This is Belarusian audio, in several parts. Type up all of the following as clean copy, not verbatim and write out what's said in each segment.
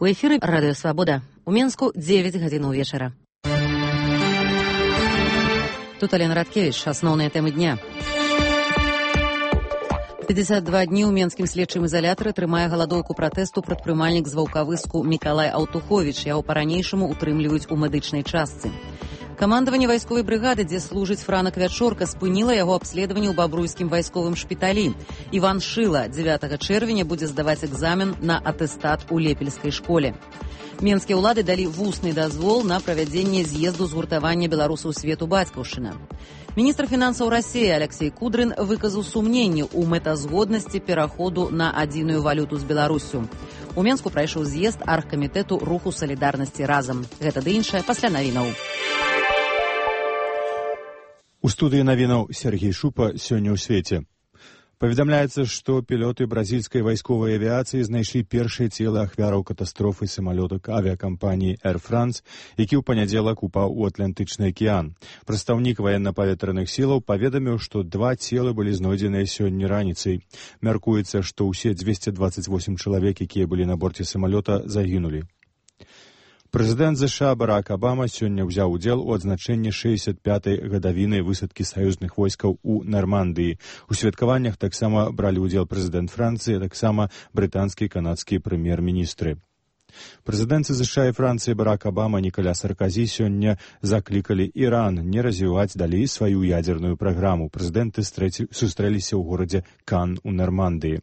У эфіры Радыё Свабода. У Менску 9 гадзін вечара. Тут Алена Радкевич. Асноўныя тэмы дня. 52 дні ў менскім следчым ізалятары трымае галадоўку пратэсту прадпрымальнік з Ваўкавыску Мікалай Аўтуховіч. Яго па-ранейшаму утрымліваюць у медычнай частцы. Камандаванне вайсковай брыгады, дзе служыць Франак Вячорка, спыніла яго абследаванне ў бабруйскім вайсковым шпіталі. Іван Шыла 9 чэрвеня будзе здаваць экзамен на атэстат у лепельскай школе. Менскія ўлады далі вусны дазвол на правядзенне з'езду згуртавання беларусаў свету бацькаўшчына. Міністр фінансаў Расіі Алексей Кудрын выказаў сумненне ў мэтазгоднасці пераходу на адзіную валюту з Беларуссю. У Менску прайшоў з'езд аргкамітэту руху салідарнасці разам. Гэта ды іншае пасля навінаў. У студыі навінаў Сергей Шупа сёння ў свеце. Паведамляецца, што пілоты бразільскай вайсковай авіяцыі знайшлі першыя целы ахвяраў катастрофы самалёта авіякампаніі Air France, які ў панядзелак упаў у Атлантычны акіян. Прадстаўнік ваенна-паветраных сілаў паведаміў, што 2 целы былі знойдзеныя сёння раніцай. Мяркуецца, што ўсе 228 чалавек, якія былі на борце самалёта, загінулі. Прэзідэнт ЗША Барак Абама сёння ўзяў удзел у адзначэнні 65-й гадавіны высадкі саюзных войскаў у Нармандыі. У святкаваннях таксама бралі ўдзел прэзідэнт Францыі, таксама брытанскі і канадскі прэм'ер-міністры. Прэзідэнты ЗША і Францыі Барак Абама і Ніколя Саркозі сёння заклікалі Іран не развіваць далей сваю ядзерную праграму. Прэзідэнты сустрэліся ў горадзе Кан у Нармандыі.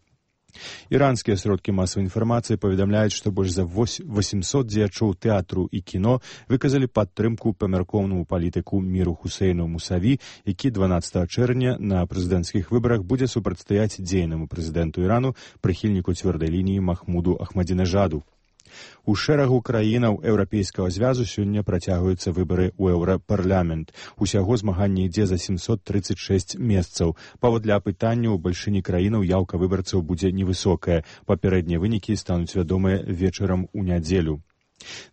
Іранскія сродкі масавай інфармацыі паведамляюць, што больш за 800 дзеячоў тэатру і кіно выказалі падтрымку памяркоўнаму палітыку Міру Хусейну Мусаві, які 12 чэрвеня на прэзідэнцкіх выбарах будзе супрацьстаяць дзейнаму прэзідэнту Ірану, прыхільніку цвёрдай лініі Махмуду Ахмадзінежаду. У шэрагу краінаў Еўрапейскага звязу сёння працягваюцца выбары ў Еўрапарламент. Усяго змаганне ідзе за 736 месцаў. Паводле апытання ў бальшыні краінаў яўка выбарцаў будзе невысокая. Папярэднія вынікі стануць вядомыя вечарам у нядзелю.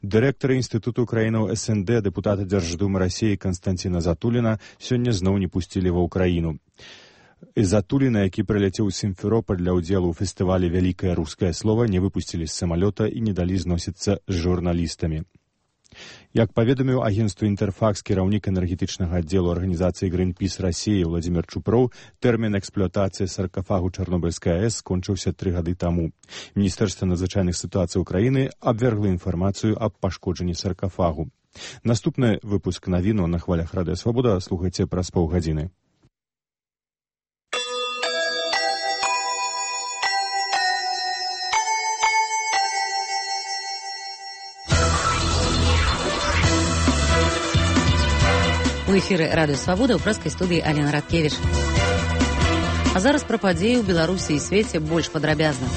Дырэктар інстытуту краінаў СНД, дэпутата Дзярждумы Расіі Канстанціна Затуліна сёння зноў не пусцілі ва ўкраіну. Затуліна, які прыляцеў з Сімферопаль для ўдзелу ў фестывалі «Вялікае рускае слова», не выпусцілі з самалёта і не далі зносіцца з журналістамі. Як паведаміў агенцтву «Інтэрфакс» кіраўнік энергетычнага аддзелу арганізацыі «Гринпіс Расіі» Владзімір Чупроў, тэрмін эксплуатацыі саркафагу Чарнобыльскай АЭС скончыўся 3 гады таму. Міністэрства надзвычайных сітуацый Украіны абвергла інфармацыю аб пашкоджанні саркафагу. Наступны выпуск навіну на хвалях Радыё Свабода слухайце праз паўгадзіны. У эфіры Радыё Свабода ў прэскай студыі Алена Радкевич. А зараз пра падзеі ў Беларусі і свеце больш падрабязна.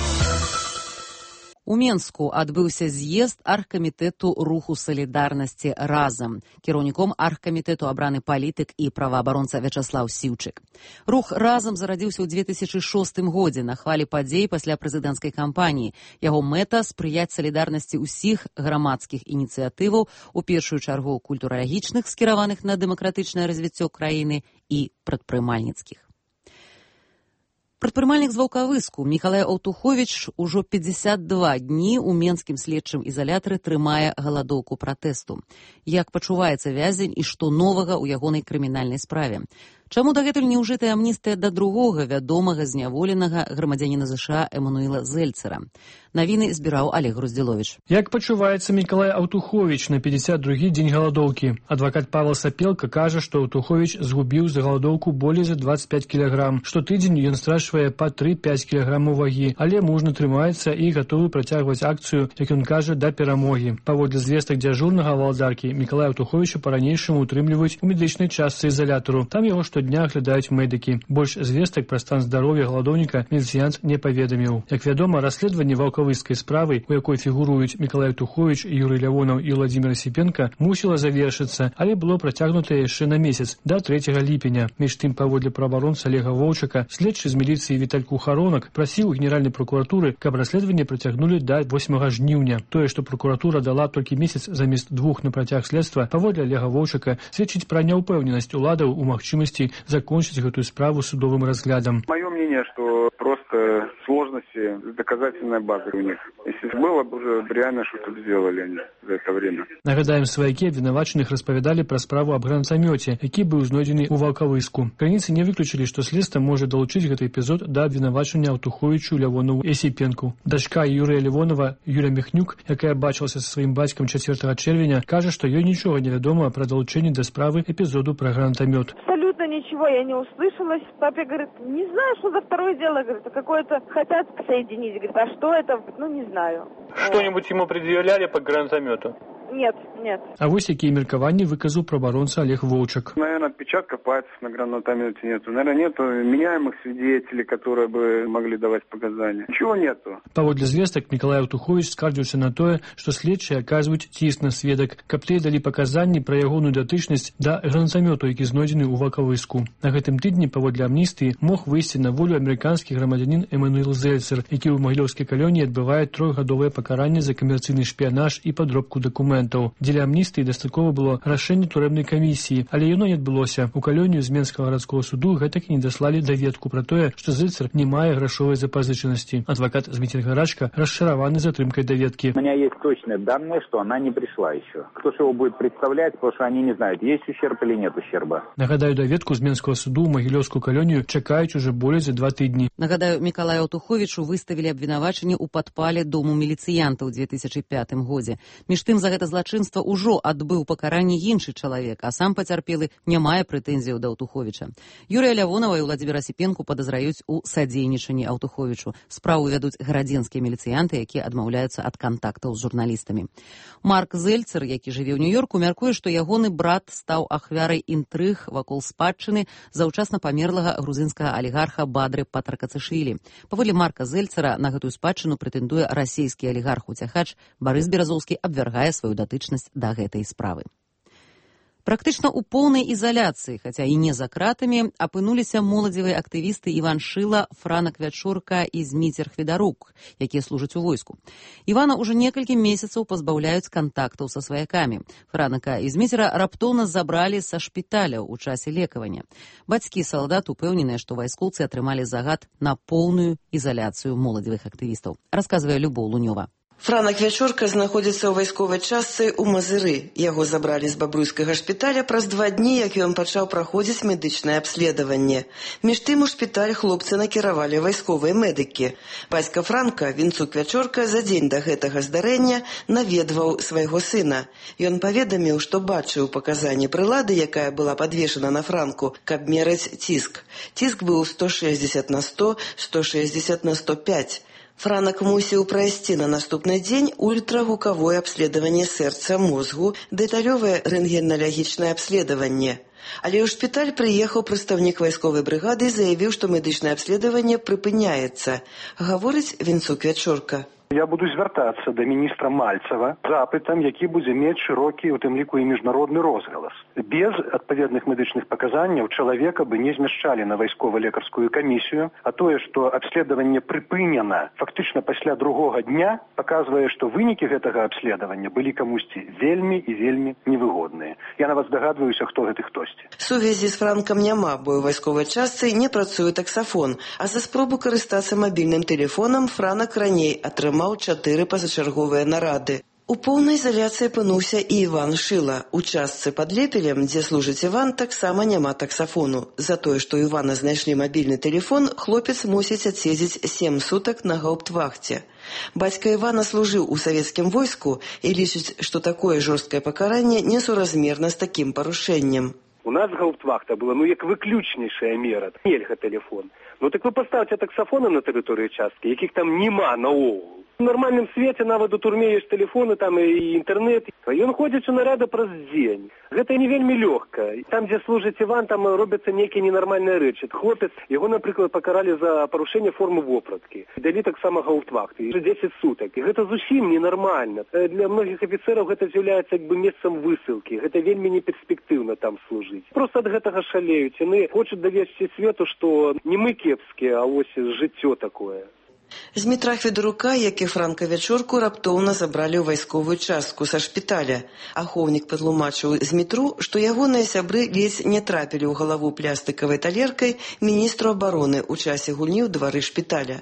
У Менску адбыўся з'езд аргкамітэту руху салідарнасці разам. Кіраўніком аргкамітэту абраны палітык і праваабаронца Вячаслаў Сіўчык. Рух разам зарадзіўся ў 2006 годзе на хвалі падзей пасля прэзідэнцкай кампаніі. Яго мэта спрыяць салідарнасці ўсіх грамадскіх ініцыятываў, у першую чаргу культуралагічных, скіраваных на дэмакратычнае развіццё краіны, і прадпрымальніцкіх. Прадпрымальнік з Ваўкавыску Мікалай Аўтуховіч ужо 52 дні ў менскім следчым ізалятары трымае галадоўку пратэсту. Як пачуваецца вязень і што новага ў ягонай крымінальнай справе? Чаму дагэтуль не ўжытая амністыя да другога вядомага зняволенага грамадзяніна ЗША Эмануіла Зельцера? Навіны збіраў Олег Груздзіловіч. Як пачуваецца Мікалай Аўтуховіч на 52-гі дзень галадоўкі? Адвакат Павел Сапелка кажа, што Аўтуховіч згубіў за галадоўку болей за 25 кілаграм. Штотыдзень ён страчвае па 3-5 кілаграмаў вагі, але мужна трымаецца і гатовы працягваць акцыю, як ён кажа, да перамогі. Паводле звестак дзяжурнага валадаркі, Мікалая Аўтуховіча па-ранейшаму утрымліваюць у медычнай частцы ізалятару. Там яго штодня глядаюць медыкі. Больш звестак пра стан здароўя галадоўніка міліцыянт не паведаміў. Як вядома, расследаванне ваўкавыскай справы, у якой фігуруюць Мікалай Аўтуховіч, Юрый Лявонаў і Владзімір Асіпенка, мусіла завершыцца, але было працягнутае яшчэ на месяц, да 3 ліпеня. Між тым, паводле праваабаронца Олега Воўчака, следчы з міліцыі Віталь Кухаронак прасіў у генеральнай прокуратуры, каб расследаванне працягнулі да 8 жніўня. Тое, што прокуратура дала толькі месяц замест 2 на працяг следства, паводле Олега Воўчака, сведчыць пра няўпэўненасць уладаў у магчымасці закончыць гэтую справу судовым разглядам. Маё мнение, что просто немножко сложности с доказательной базой у них. Если было бы уже реально что-то сделали они за это время. Нагадаем, сваякі абвінавачаных распавядалі пра справу аб гранатамёце, які быў знойдзены ў Ваўкавыску. Крыніцы не выключылі, што следства можа далучыць гэты эпізод да абвінавачання Аўтуховічу, Лявонову і Асіпенку. Дачка Юрыя Лявонова, Юля Міхнюк, якая бачылася са сваім бацькам 4 чэрвеня, кажа, што ёй нічога не вядома пра далучэнне да справы эпізоду пра гранатамёт. Абсолютно ничего я не услышала. Папе говорит, не знаю, что за второе дело, говорит, какое-то хотят соединить. Говорит, а что это? Ну, не знаю. Что-нибудь ему предъявляли по гранатомету? Нет, нет. А вось якія меркаванні выказаў праваабаронца Олег Воўчак. Наверное, отпечатков пальцев на гранатомете нету. Наверное, нету меняемых свидетелей, которые бы могли давать показания. Ничего нету. Паводле звестак Мікалай Аўтуховіч скардзіўся на тое, што следчыя аказваюць ціск на сведак, каб тыя далі паказанні пра ягоную датычнасць да гранатамёту, які знойдзены ў Ваўкавыску. На гэтым тыдні паводле амністыі мог выйсці на волю амерыканскі грамадзянін Эмануэл Зельцер, які ў магілёўскай калоніі адбывае 3-гадовае пакаранне за камерцыйны шпіянаж і падробку дакументаў. Дзеля амністыі дастаткова было рашэнне турэбнай камісіі, але яно не адбылося. У калонію з Менскага гарадскога суду гэтак і не даслалі даведку пра тое, што Зельцер не мае грашовай запазычанасці. Адвакат Зміцер Гарачка расчараваны затрымкай даведкі. У меня есть точные данные, что она не пришла еще. Кто же его будет представлять, потому что они не знают, есть ущерб или нет ущерба. Нагадаю, даведку з Менскага суду ў магілёўскую калонію чакаюць уже болей за 2 тыдні. Нагадаю, Мікалаю Аўтуховічу выставілі абвінавачанне ў падпале дому міліцыянта ў 2005 годзе. Між тым, за гэта злачынства ўжо адбыў пакаранне іншы чалавек, а сам пацярпелы не мае прэтэнзіяў да Аўтуховіча. Юрыя Лявонова і Владзіміра Асіпенку падазраюць у садзейнічанні Аўтуховічу. Справу вядуць гарадзенскія міліцыянты, якія адмаўляюцца ад кантактаў з журналістамі. Марк Зельцер, які жыве ў Нью-Йорку, мяркуе, што ягоны брат стаў ахвярай інтрыг вакол спадчыны заўчасна памерлага грузінскага алігарха Бадры Патракацышвілі. Паводле Марка Зельцера на гэтую спадчыну прэтэндуе расійскі алігарх-уцяхач Барыс Беразоўскі, абвяргае сваю датычнасць да гэтай справы. Практычна ў поўнай ізаляцыі, хаця і не за кратамі, апынуліся моладзевыя актывісты Іван Шыла, Франак Вячорка і Зміцер Хведарук, якія служаць у войску. Івана ўжо некалькі месяцаў пазбаўляюць кантактаў са сваякамі. Франака і Зміцера раптоўна забралі са шпіталяў у часе лекавання. Бацькі салдат упэўненыя, што вайскоўцы атрымалі загад на поўную ізаляцыю моладзевых актывістаў. Расказвае Любоў Лунёва. Франак Вячорка знаходзіцца ў вайсковай частцы ў Мазыры. Яго забралі з бабруйскага шпіталя праз 2 дні, як ён пачаў праходзіць медычнае абследаванне. Між тым у шпіталь хлопцы накіравалі вайсковыя медыкі. Бацька Франка, Вінцук Вячорка, за дзень да гэтага здарэння наведваў свайго сына. Ён паведаміў, што бачыў паказанні прылады, якая была падвешана на Франку, каб мераць ціск. Ціск быў 160 на 100, 160 на 105. Франак мусіў прайсці на наступны дзень ультрагукавое абследаванне сэрца, мозгу, дэталёвае рэнтгеналагічнае абследаванне. Але ў шпіталь прыехаў прадстаўнік вайсковай брыгады і заявіў, што медычнае абследаванне прыпыняецца. Гаворыць Вінцук Вячорка. Я буду звяртацца да міністра Мальцева запытам, які будзе мець шырокі, у тым ліку і міжнародны розгалас. Без адпаведных медычных паказанняў чалавека бы не змяшчалі на вайскова-лекарскую камісію, а тое, што абследаванне прыпынена фактычна пасля другога дня, паказвае, што вынікі гэтага абследавання былі камусьці вельмі і вельмі невыгодныя. Я нават здагадваюся, хто гэты хтосьці. Сувязі з Франкам няма, бо ў вайсковай частцы не працуе таксафон, а за спробу карыстацца мабільным тэлефонам Франак раней атрымаў 4 пазачарговыя нарады. У поўнай ізаляцыі апынуўся і Іван Шыла. У частцы пад Лепелем, дзе служыць Іван, таксама няма таксафону. За тое, што ў Івана знайшлі мабільны тэлефон, хлопец мусіць адседзець 7 сутак на гауптвахце. Бацька Івана служыў у савецкім войску і лічыць, што такое жорсткае пакаранне несуразмерна з такім парушэннем. У нас гауптвахта была, як выключнейшая мера. Нельга тэлефон. Так вы паставце таксафоны на тэрыторыі часткі, якіх там няма наогул. У нармальным свеце нават у турме ёсць тэлефоны, там і інтэрнэт. Ён ходзіць у нарады праз дзень. Гэта не вельмі лёгка. Там, дзе служыць Іван, там робяцца нейкія ненармальныя рэчы. Хлопец, яго, напрыклад, пакаралі за парушэнне формы вопраткі. Далі таксама гауптвахты. 10 сутак. І гэта зусім ненармальна. Для многіх афіцэраў гэта з'яўляецца месцам высылкі. Гэта вельмі неперспектыўна там служыць. Проста ад гэтага шалеюць. Яны хочуць давесці свету, што не мы кепскія, а вось жыццё такое. Змітра Хведарука, як і Франка Вячорку, раптоўна забралі ў вайсковую частку са шпіталя. Ахоўнік патлумачыў Змітру, што ягоныя сябры ледзь не трапілі ў галаву плястыкавай талеркай міністру абароны ў часе гульні ў двары шпіталя.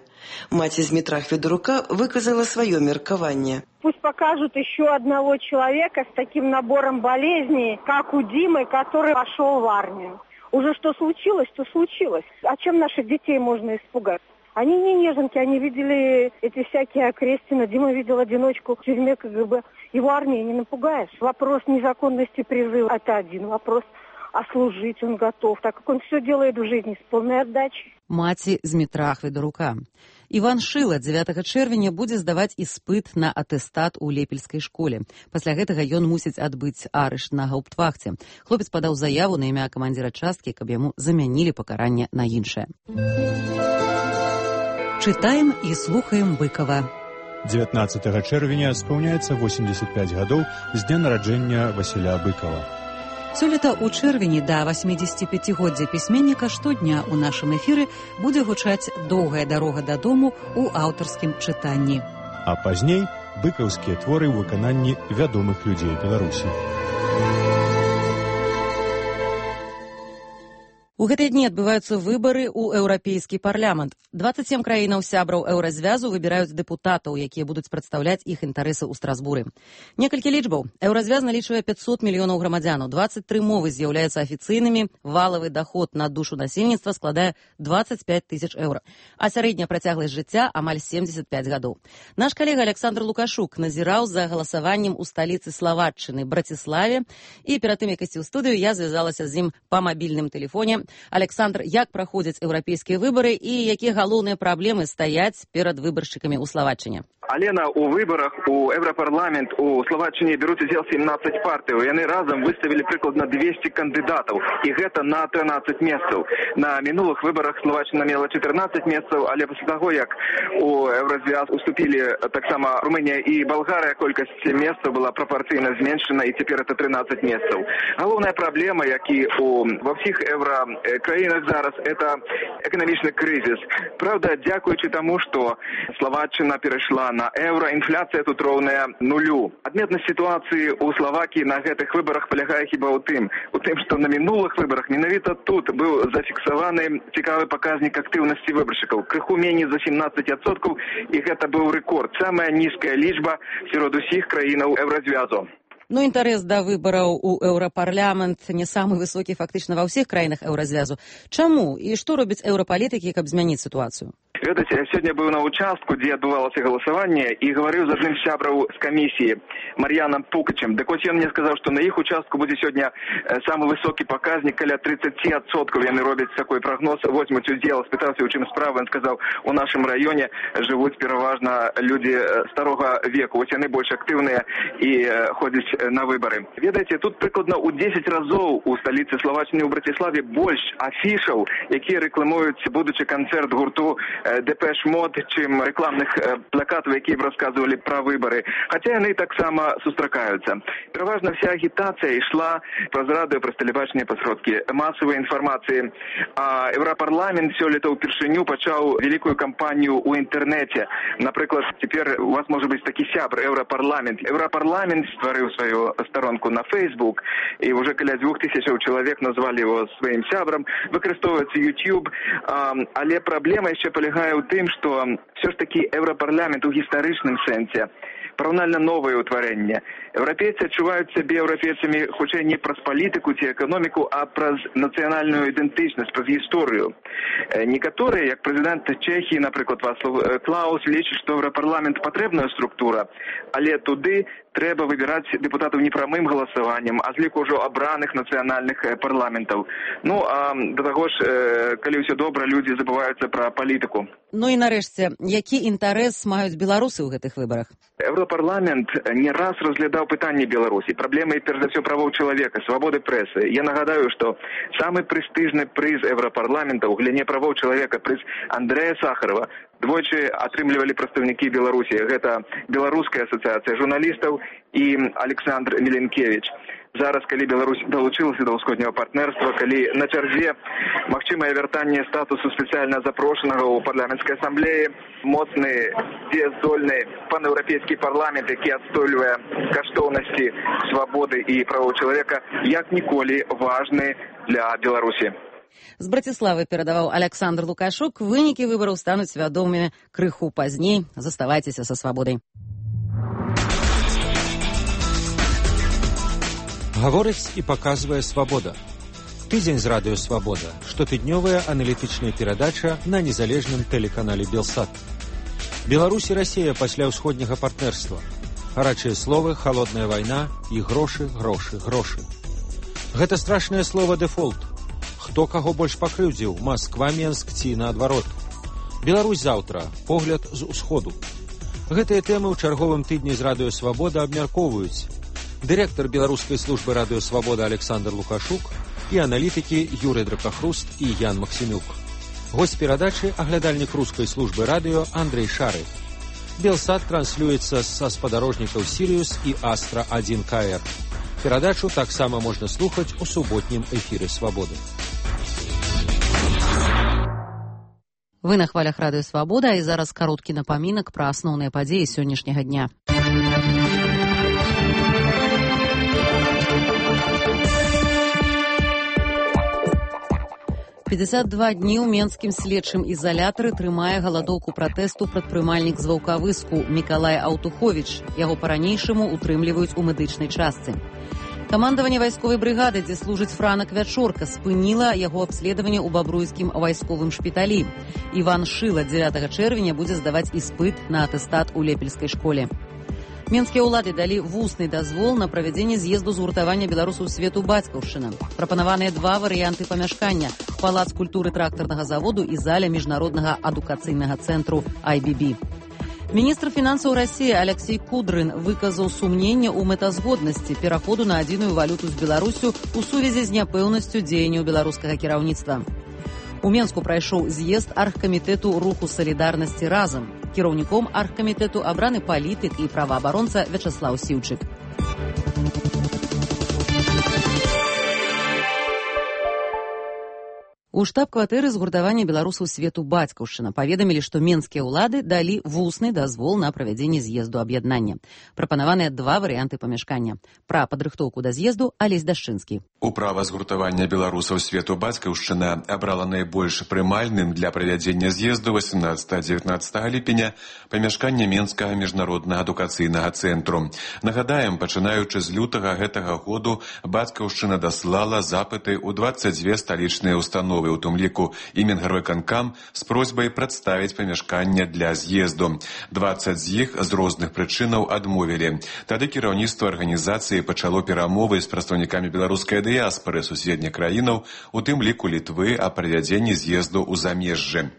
Маці Змітра Хведарука выказала свое меркаванне. Пусть покажут еще одного человека с таким набором болезней, как у Димы, который пошел в армию. Уже что случилось, то случилось. А чем наших детей можно испугать? Они не неженки, они видели эти всякие окрестины. Дима видел одиночку в тюрьме КГБ. Его армией не напугаешь. Вопрос незаконности призыва – это один вопрос. А служить он готов, так как он все делает в жизни с полной отдачей. Маці Змітра Хведарука. Іван Шыла 9 чэрвеня будзе здаваць іспыт на атэстат у лепельскай школе. Пасля гэтага ён мусіць адбыць арышт на гауптвахце. Хлопец падаў заяву на імя камандзіра часткі, каб яму замянілі пакаранне на іншае. Чытаем і слухаем Быкова. 19 чэрвеня спаўняецца 85 гадоў з дня нараджэння Васіля Быкова. Сёлета ў чэрвені да 85годдзя пісьменніка штодня ў нашым эфіры будзе гучаць «Доўгая дарога дадому» ў аўтарскім чытанні. А пазней быкаўскія творы ў выкананні вядомых людзей Беларусі. У гэтыя дні адбываюцца выбары ў Еўрапейскі парламент. 27 краінаў сябраў Еўразвязу выбіраюць дэпутатаў, якія будуць прадстаўляць іх інтарэсы ў Страсбуры. Некалькі лічбаў. Еўразвяз налічвае 500 мільёнаў грамадзянаў, 23 мовы з'яўляюцца афіцыйнымі, валавы даход на душу насельніцтва складае 25 тысяч еўра, а сярэдняя працягласць жыцця амаль 75 гадоў. Наш калега Александр Лукашук назіраў за галасаваннем у сталіцы Славатчыны, Браціславе, і перад тым, як ісці ў студыю, я звязалася з ім па мабільным тэлефоне. Александр, як праходзяць еўрапейскія выбары і якія галоўныя праблемы стаяць перад выбаршчыкамі ў Славатчыне? Алена, у выборах у Европарламент у Словаччине берут удел 17 партий. Яны разом выставили прикладно 200 кандидатов. И это на 13 месцев. На минулых выборах Словаччина имела 14 месцев, але после того, как у Еврозвяз уступили так само Румыния и Болгария, колькость месцев была пропорционально зменшена, и теперь это 13 месцев. Главная проблема, как и во всех еврокраинах зараз, это экономичный кризис. Правда, дякуючи тому, что Словаччина перешла на евро, інфляція тут роўная нулю. Адметнасць сітуацыі ў Словакіі на гэтых выбарах палягае хіба ў тым, што на мінулых выбарах менавіта тут быў зафіксаваны цікавы паказнік актыўнасці выбаршчыкаў. Крыху меней за 17%, і гэта быў рэкорд. Самая нізкая лічба сярод усіх краінаў Еўразвязу. Ну, інтарэс да выбараў у Еўрапарламент не самы высокі фактычна ва ўсіх краінах Еўразвязу. Чаму і што робяць еўрапалітыкі, каб змяніць сітуацыю? Ведаце, я сегодня был на участку, где отбывалось голосование, и говорил с одним сябром с комиссии, Марьяном Пукачем. Так вот, он мне сказал, что на их участку будет сегодня самый высокий показник, каля 30%. Они робят такой прогноз, возьмут удел, спытался, у чем справа, он сказал, у нашем районе живут переважно люди старого века. Вот они больше активные и ходят на выборы. Ведаете, тут прикладно у 10 разов у столицы Словаччины, у Братиславе, больше афишаў, які рекламують будучи концерт гурту Депеш Мод, чим рекламних плакатів, які б розказували про вибори. Хоча вони так само зустрічаються. Переважно вся агітація йшла про радіо, про телебачення, про сродки масової інформації. А Європарламент сьогодні вперше почав велику кампанію у інтернеті. Наприклад, тепер у вас може бути такий сябр Європарламент. Європарламент створив свою сторонку на Facebook, і вже біля 2000 чоловік назвали його своїм сябром. Використовується YouTube, але проблема ще полягає у тым, што все ж таки Еўрапарламент у гістарычным сэнсе параўнальна новае ўтварэнне. Еўрапейцы адчуваюць сябе еўрапейцамі хутчэй не праз палітыку ці эканоміку, а праз нацыянальную ідэнтычнасць, праз гісторыю. Некаторыя, як прэзідэнт Чэхіі, напрыклад, Вацлав Клаус, лічаць, што Еўрапарламент патрэбная структура, але туды трэба выбіраць дэпутатаў не прамым галасаваннем, а з ліку ўжо абраных нацыянальных парламентаў. Ну, а да таго ж, калі ўсё добра, людзі забываюцца пра палітыку. Ну і нарэшце, які інтарэс маюць беларусы ў гэтых выбарах? Еўрапарламент не раз разглядаў пытанні Беларусі, праблемы, перш за ўсё, правоў чалавека, свабоды прэсы. Я нагадаю, што самы прэстыжны прыз Еўрапарламента ў галіне правоў чалавека, прыз Андрэя Сахарова, двойчы атрымлівалі прадстаўнікі Беларусі. Гэта Беларуская асацыяцыя журналістаў і Александр Міленкевич. Зараз, калі Беларусь далучылася да ўсходняга партнерства, калі на чарзе магчымае вяртанне статусу спецыяльна запрошанага ў парламенцкай асамблеі, моцны, дзеяздольны панеўрапейскі парламент, які адстойвае каштоўнасці свабоды і правоў чалавека, як ніколі важны для Беларусі. З Браціславы перадаваў Александр Лукашук. Вынікі выбараў стануць вядомымі крыху пазней. Заставайцеся са свабодай. Гаворыць і паказвае свабода. Тыдзень з радыё «Свабода». Штотыднёвая аналітычная перадача на незалежным тэлеканале «Белсат». Беларусь і Расія пасля ўсходняга партнерства. Гарачыя словы, халодная вайна і грошы, грошы, грошы. Гэта страшнае слова «дэфолт». Хто каго больш пакрыўдзіў, Масква, Менск ці наадварот. Беларусь заўтра, погляд з усходу. Гэтыя тэмы ў чарговым тыдні з радыё «Свабода» абмяркоўваюць дырэктар беларускай службы радыё «Свабода» Александр Лукашук і аналітыкі Юрый Дракахруст і Ян Максімюк. Госць перадачы – аглядальнік рускай службы радыё Андрей Шары. Белсат транслюецца са спадарожнікаў «Сіриус» і «Астра-1КР». Перадачу таксама можна слухаць у суботнім эфіры «Свабоды». Вы на хвалях радыё «Свабода», і зараз кароткі напамінак пра асноўныя падзеі сённяшняга дня. «52 дні ў менскім следчым ізалятары трымае галадоўку пратэсту прадпрымальнік з Ваўкавыску Мікалай Аўтуховіч. Яго па-ранейшаму утрымліваюць у медычнай частцы. Камандаванне вайсковай брыгады, дзе служыць Франак Вячорка, спыніла яго абследаванне ў бабруйскім вайсковым шпіталі. Іван Шыла 9 чэрвеня будзе здаваць іспыт на атэстат у Лепельскай школе. Менскія ўлады далі вусны дазвол на правядзенне з'езду згуртавання беларусаў свету «Бацькаўшчына». Прапанаваныя два варыянты памяшкання – палац культуры трактарнага заводу і заля міжнароднага адукацыйнага цэнтру IBB. Міністр фінансаў Расіі Алексей Кудрын выказаў сумненне ў мэтазгоднасці пераходу на адзіную валюту з Беларусю ў сувязі з няпэўнасцю дзеянняў беларускага кіраўніцтва. У Менску прайшоў з'езд аргкамітэту руху салідарнасці «Разам». Кіраўніком аргкамітэту абраны палітык і праваабаронца Вячаслаў Сіўчык. У штаб-кватэры згуртавання беларусаў свету «Бацькаўшчына» паведамілі, што менскія ўлады далі вусны дазвол на правядзенне з'езду аб'яднання. Прапанаваныя два варыянты памяшкання. Пра падрыхтоўку да з'езду Алесь Дашчынскі. Управа згуртавання беларусаў свету «Бацькаўшчына» абрала найбольш прымальным для правядзення з'езду 18-19 ліпеня памяшкання Менскага міжнароднага адукацыйнага цэнтру. Нагадаем, пачынаючы з лютага гэтага году «Бацькаўшчына» даслала запыты ў 22 сталічныя установы, у тым ліку і Мінгарвыканкам, з просьбай прадставіць памяшканне для з'езду. 20 з іх з розных прычынаў адмовілі. Тады кіраўніцтва арганізацыі пачало перамовы з прадстаўнікамі беларускай дыяспары суседніх краінаў, у тым ліку Літвы, аб правядзенні з'езду ў замежжы.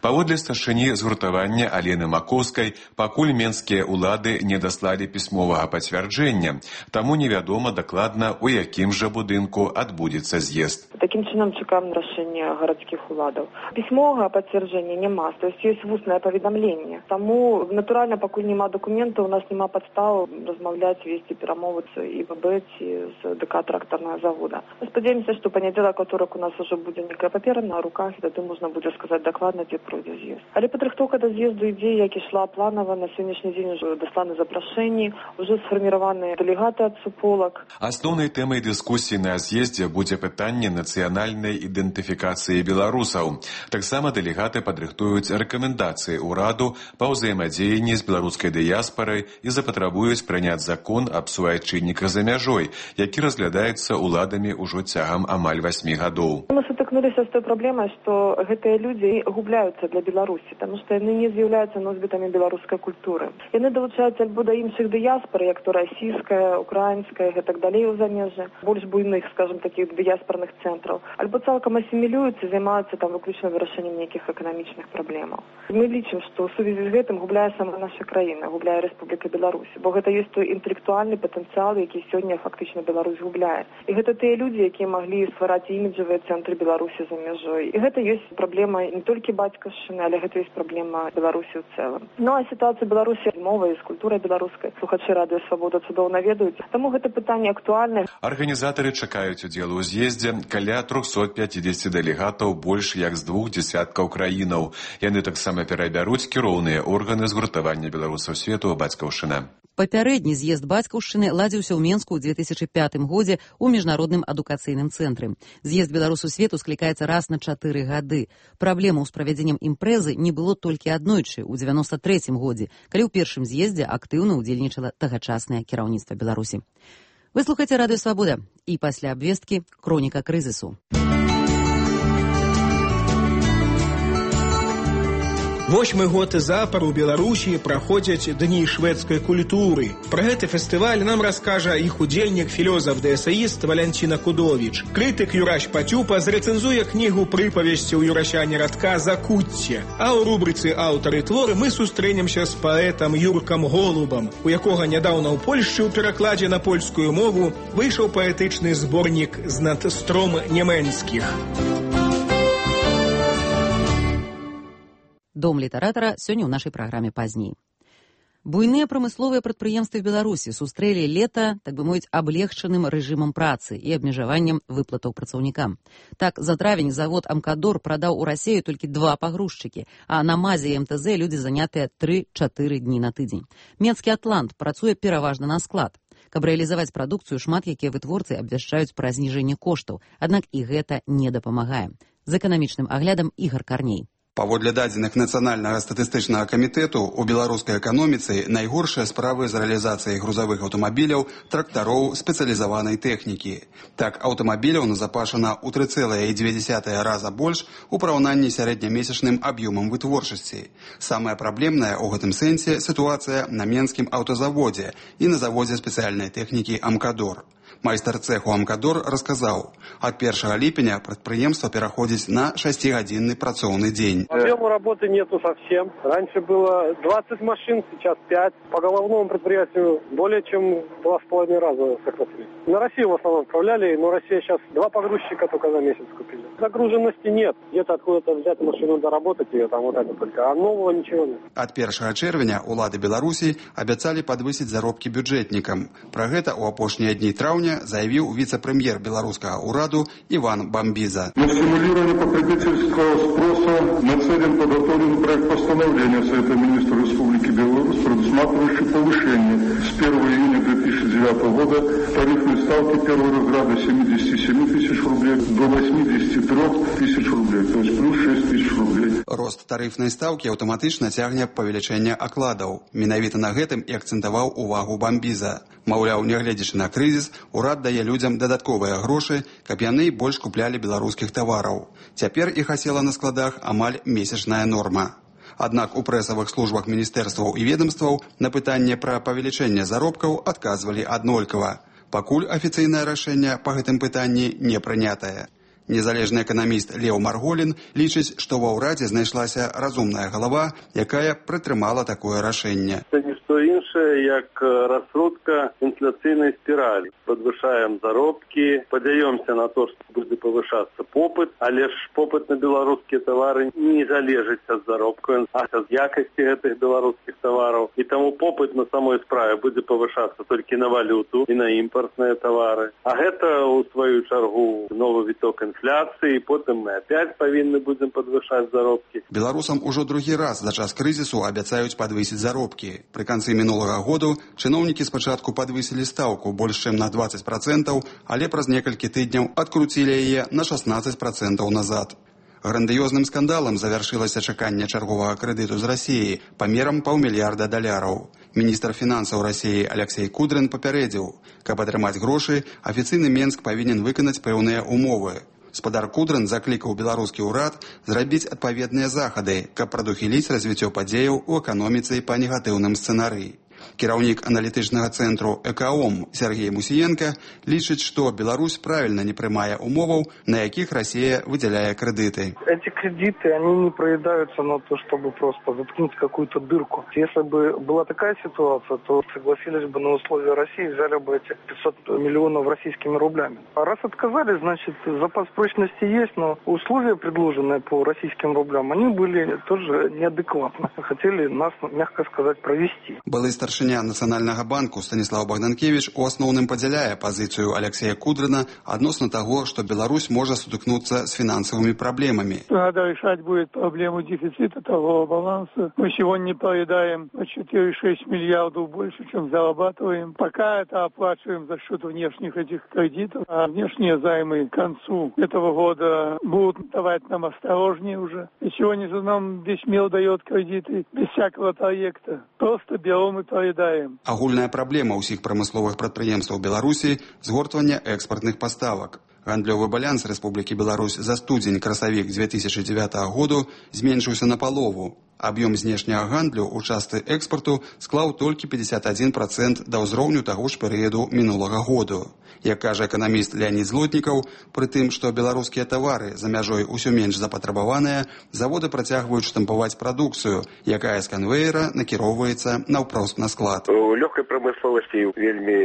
Паводле старшыні згуртавання Алены Макоўскай, пакуль менскія ўлады не даслалі пісьмовага пацвярджэння, таму невядома дакладна, у якім жа будынку адбудзецца з'езд. Такім чынам чакаем рашэння гарадскіх уладаў. Пісьмовага пацвярджэння няма, то есть ёсць вуснае паведамленне. Таму, натуральна, пакуль няма дакументаў, у нас няма падстаў размаўляць, весці перамовы з ІББ ці з ДК трактарнага завода. Спадзяемся, што панядзелак, аўторак у нас ужо будзе некая папера на руках, і тады можна будзе сказаць дакладна, дзе пройдзе з'езд. Але падрыхтоўка да з'езду ідзе, як ішла планава. На сённяшні дзень ужо дасланы запрашэнні, ужо сфарміраваныя дэлегаты ад суполак. Асноўнай тэмай дыскусіі на з'ездзе будзе пытанне нацыянальнай ідэнтыфікацыі беларусаў. Таксама дэлегаты падрыхтуюць рэкамендацыі ўраду па ўзаемадзеянні з беларускай дыяспарай і запатрабуюць прыняць закон аб суайчынніках за мяжой, які разглядаецца ўладамі ўжо цягам амаль 8 гадоў. Мы сутыкнуліся з той праблемай, што гэтыя людзі губляюцца для Беларусі, таму што яны не з'яўляюцца носьбітамі беларускай культуры. Яны далучаюцца альбо да іншых дыяспар, як то расійская, украінская, гэтак далей у замежжы, больш буйных, скажем, такіх дыяспарных цэнтраў, альбо цалкам асімілююцца, займаюцца там выключна вырашэннем нейкіх эканамічных праблемаў. Мы лічым, што ў сувязі з гэтым губляе сама наша краіна, губляе Рэспубліка Беларусь, бо гэта ёсць той інтэлектуальны патэнцыял, які сёння фактычна Беларусь губляе. І гэта тыя людзі, якія маглі ствараць іміджавыя цэнтры Беларусі за мяжой. І гэта ёсць праблема не толькі бацькаўшчыны, але гэта ёсць праблема Беларусі ў цэлым. Ну а сітуацыя Беларусі з мовай, з культурай беларускай слухачы радыё Свабода цудоўна ведаюць, таму гэта пытанне актуальнае. Арганізатары чакаюць удзелу ў з'ездзе каля 350 дэлегатаў больш як з 2 дзясяткаў краінаў. Яны таксама перабяруць кіроўныя органы згуртавання беларусаў свету бацькаўшчына. Папярэдні з'езд бацькаўшчыны ладзіўся ў Менску ў 2005 годзе ў міжнародным адукацыйным цэнтры. З'езд беларусаў свету склікаецца раз на 4 гады. Праблемаў з правядзеннем імпрэзы не было толькі аднойчы ў 93 годзе, калі ў першым з'ездзе актыўна ўдзельнічала тагачаснае кіраўніцтва Беларусі. Вы слухаеце радыё Свабода і пасля абвесткі хроніка крызісу. 8-й год запар у Беларусі праходзяць дні шведскай культуры. Пра гэты фестываль нам раскажа іх удзельнік, філёзаф-дэсаіст Валянціна Кудовіч. Крытык Юрась Пацюпа зрэцэнзуе кнігу прыпавесці ў Юрасяне Радка «Закуцце». А ў рубрыцы «Аўтары творы» мы сустрэнемся з паэтам Юркам Голубам, у якога нядаўна ў Польшчы ў перакладзе на польскую мову выйшаў паэтычны зборнік з надстром нямецкіх. Дом літаратара сёння ў нашай праграме пазней. Буйныя прамысловыя прадпрыемствы Беларусі сустрэлі лета, так бы мовіць, аблегчаным рэжымам працы і абмежаваннем выплатаў працаўнікам. Так, за травень завод «Амкадор» прадаў у Расею толькі 2 пагрузчыкі, а на МАЗе і МТЗ людзі занятыя 3-4 дні на тыдзень. Менскі «Атлант» працуе пераважна на склад. Каб рэалізаваць прадукцыю, шмат якія вытворцы абвяшчаюць пра зніжэнне коштаў, аднак і гэта не дапамагае. З эканамічным аглядам Ігар Карней. Паводле дадзеных Нацыянальнага статыстычнага камітэту, у беларускай эканоміцы найгоршыя справы з рэалізацыяй грузавых аўтамабіляў, трактароў, спецыялізаванай тэхнікі. Так, аўтамабіляў назапашана ў 3,2 раза больш у параўнанні сярэднямесячным аб'ёмам вытворчасці. Самая праблемная ў гэтым сэнсе сітуацыя на Менскім аўтазаводзе і на заводзе спецыяльнай тэхнікі «Амкадор». Майстар цеху «Амкадор» расказаў, ад 1 ліпеня прадпрыемства пераходзіць на 6-гадзінны працоўны дзень. Объема работы нету совсем. Раньше было 20 машин, сейчас 5. По головному предприятию более чем 2,5 раза сократили. На Россию в основном отправляли, но Россия сейчас 2 погрузчика только за месяц купили. Загруженности нет. Где-то откуда-то взять машину, доработать ее, там вот это только. А нового ничего нет. Ад 1 чэрвеня улады Беларусі абяцалі падвысіць заробкі бюджэтнікам. Пра гэта ў апошнія дні траўня заявіў віцэ-прэм'ер беларускага ўраду Иван Бамбиза. На стимулирование потребительского спроса нацелен подготовленный проект постановления Совета министров Республики Беларусь, предусматривающий повышение с 1 июня 2009 года тарифной ставки первого разряда 77 тысяч рублей до 83 тысяч рублей, то есть плюс 6 тысяч рублей. Рост тарифной ставки аўтаматычна цягне павелічэнне акладаў. Менавіта на гэтым і акцэнтаваў увагу Бамбиза. Маўляў, нягледзячы на крызіс, урад дае людзям дадатковыя грошы, каб яны больш куплялі беларускіх тавараў. Цяпер іх асела на складах амаль месячная норма. Аднак у прэсавых службах міністэрстваў і ведомстваў на пытанне пра павелічэнне заробкаў адказвалі аднолькава. Пакуль афіцыйнае рашэнне па гэтым пытанні не прынятае. Незалежны эканаміст Леў Марголін лічыць, што ва ўрадзе знайшлася разумная галава, якая прытрымала такое рашэнне. Што іншае, як раскрутка інфляцыйнай спіралі. Падвышаем заробкі, падаёмся на то, што будзе павышацца попыт, але ж попыт на беларускія тавары не залежыць ад заробкаў, а ад якасці гэтых беларускіх тавараў. І таму попыт на самой справе будзе павышацца толькі на валюту і на імпартныя тавары. А гэта, у сваю чаргу, новы віток інфляцыі, і потым мы опять павінны будзем падвышаць заробкі. Беларусам ужо другі раз за час крызісу абяцаюць падвысіць заробкі. Пры канцы мінулага году чыноўнікі спачатку падвысілі стаўку больш чым на 20%, але праз некалькі тыдняў адкруцілі яе на 16% назад. Грандыёзным скандалам завяршылася чаканне чарговага крэдыту з Расіі памерам $500 мільярдаў. Міністр фінансаў Расіі Алексей Кудрин папярэдзіў, каб атрымаць грошы, афіцыйны Менск павінен выканаць пэўныя умовы. Спадар Кудрин заклікаў беларускі ўрад зрабіць адпаведныя захады, каб прадухіліць развіццё падзеяў у эканоміцы па негатыўным сцэнарыі. Кіраўнік аналітычнага цэнтру «Экаом» Сергей Мусіенко лічыць, што Беларусь правильно не прымае умоваў, на якіх Россия выделяет кредиты. Эти кредиты, они не проедаются на то, чтобы просто заткнуть какую-то дырку. Если бы была такая ситуация, то согласились бы на условия России, взяли бы эти 500 миллионов российскими рублями. А раз отказали, значит, запас прочности есть, но условия, предложенные по российским рублям, они были тоже неадекватны. Хотели нас, мягко сказать, провести. Былы старшыня Нацыянальнага банку Станислав Богданкевич у асноўным падзяляе пазіцыю Алексея Кудрина адносна таго, што Беларусь можа сутыкнуцца с финансовыми проблемами. Надо решать будет проблему дефицита торгового баланса. Мы сегодня поедаем на 4,6 миллиардов больше, чем зарабатываем. Пока это оплачиваем за счет внешних этих кредитов. А внешние займы к концу этого года будут давать нам осторожнее уже. И сегодня же нам весь мир дает кредиты без всякого проекта. Просто берем и поедаем. Агульная праблема ўсіх прамысловых прадпрыемстваў Беларусі – згортванне экспартных паставак. Гандлёвы баланс Рэспублікі Беларусь за студзень-красавік 2009 году зменшыўся на палову. Аб'ём знешняга гандлю ў частцы экспарту склаў толькі 51% да ўзроўню таго ж перыяду мінулага году. Як кажа эканаміст Леонид Злотнікаў, пры тым, што беларускія тавары за мяжой усё менш запатрабаваныя, заводы працягваюць штампаваць прадукцыю, якая з канвеера накіроўваецца наўпрост на склад. У лёгкай прамысловасці вельмі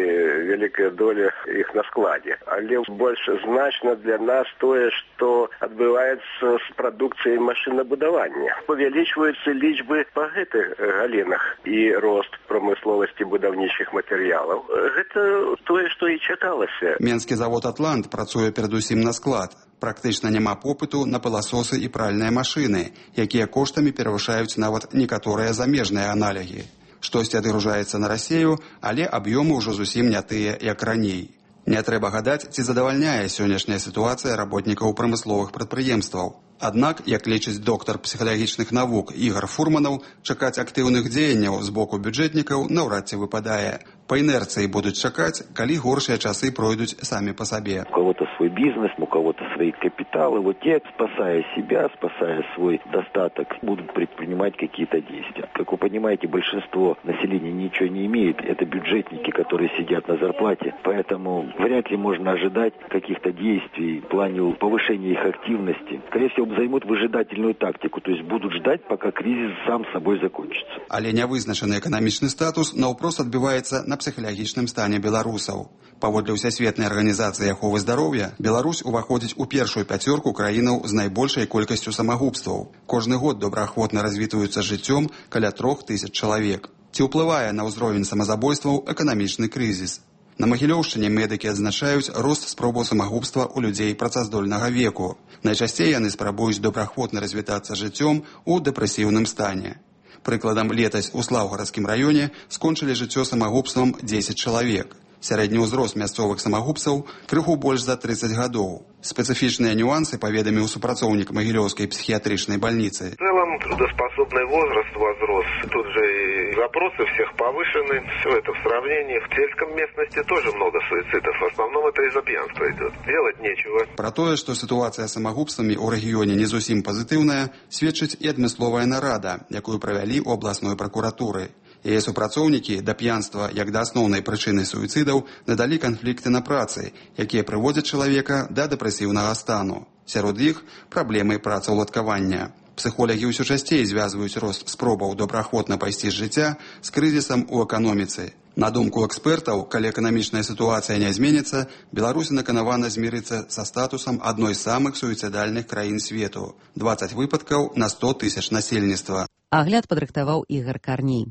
вялікая доля іх на складзе, але больш значна для нас тое, што адбываецца з прадукцыяй машынабудавання. Павялічваюцца лічбы па гэтых галінах і рост прамысловасці будаўнічых матэрыялаў. Гэта тое, што і чакалася. Менскі завод «Атлант» працуе перадусім на склад. Практычна няма попыту на пыласосы і пральныя машыны, якія коштамі перавышаюць нават некаторыя замежныя аналогі. Штосьці адгружаецца на Расію, але аб'ёмы ўжо зусім не тыя, як раней. Не трэба гадаць, ці задавальняе сённяшняя сітуацыя работнікаў прамысловых прадпрыемстваў. Аднак, як лічыць доктар псіхалагічных навук Ігор Фурманаў, чакаць актыўных дзеянняў з боку бюджэтнікаў наўрад ці выпадае. Па інерцыі будуць чакаць, калі горшыя часы пройдуць самі па сабе. У кого-то свой бизнес, у кого-то свои капиталы. Вот те, спасая себя, спасая свой достаток, будут предпринимать какие-то действия. Как вы понимаете, большинство населения ничего не имеет. Это бюджетники, которые сидят на зарплате. Поэтому вряд ли можно ожидать каких-то действий в плане повышения их активности. Скорее всего, займут выжидательную тактику, то есть будут ждать, пока кризис сам собой закончится. Але нявызначаны эканамічны статус наўпрост адбіваецца на псіхалагічным стане беларусаў. Паводле Всесветнай арганізацыі аховы здароўя, Беларусь уваходзіць у першую пяцёрку краінаў з найбольшай колькасцю самагубстваў. Кожны год добраахвотна развітваюцца жыццём каля 3000 чалавек. Ці ўплывае на ўзровень самазабойстваў эканамічны крызіс? На Магілёўшчыне медыкі адзначаюць рост спробаў самагубства ў людзей працаздольнага веку. Найчасцей яны спрабуюць добраахвотна развітацца жыццём у дэпрэсіўным стане. Прыкладам, летась у Слаўгарадскім раёне скончылі жыццё самагубствам 10 чалавек. Сярэдні ўзрост мясцовых самагубцаў крыху больш за 30 гадоў. Спецыфічныя нюансы паведаміў супрацоўнік Магілёўскай психиатричной больницы. В целом трудоспособный возраст возрос. Тут же и запросы всех повышены. Все это в сравнении. В сельском местности тоже много суицидов. В основном это из-за пьянства идет. Делать нечего. Про тое, што сітуацыя з самагубствамі ў рэгіёне не зусім пазітыўная, сведчыць і адмысловая нарада, якую правялі ў абласной пракуратуры. Яе супрацоўнікі да п'янства як да асноўнай прычыны суіцыдаў надалі канфлікты на працы, якія прыводзяць чалавека да дэпрэсіўнага стану. Сярод іх праблемы працаўладкавання. Псіхолагі ўсё часцей звязваюць рост спробаў добраахвотна пайсці з жыцця з крызісам у эканоміцы. На думку экспертаў, калі эканамічная сітуацыя не зменіцца, Беларусь наканавана змірыцца са статусам адной з самых суіцыдальных краін свету. 20 выпадкаў на 100 000 насельніцтва. Агляд падрыхтаваў Ігар Карней.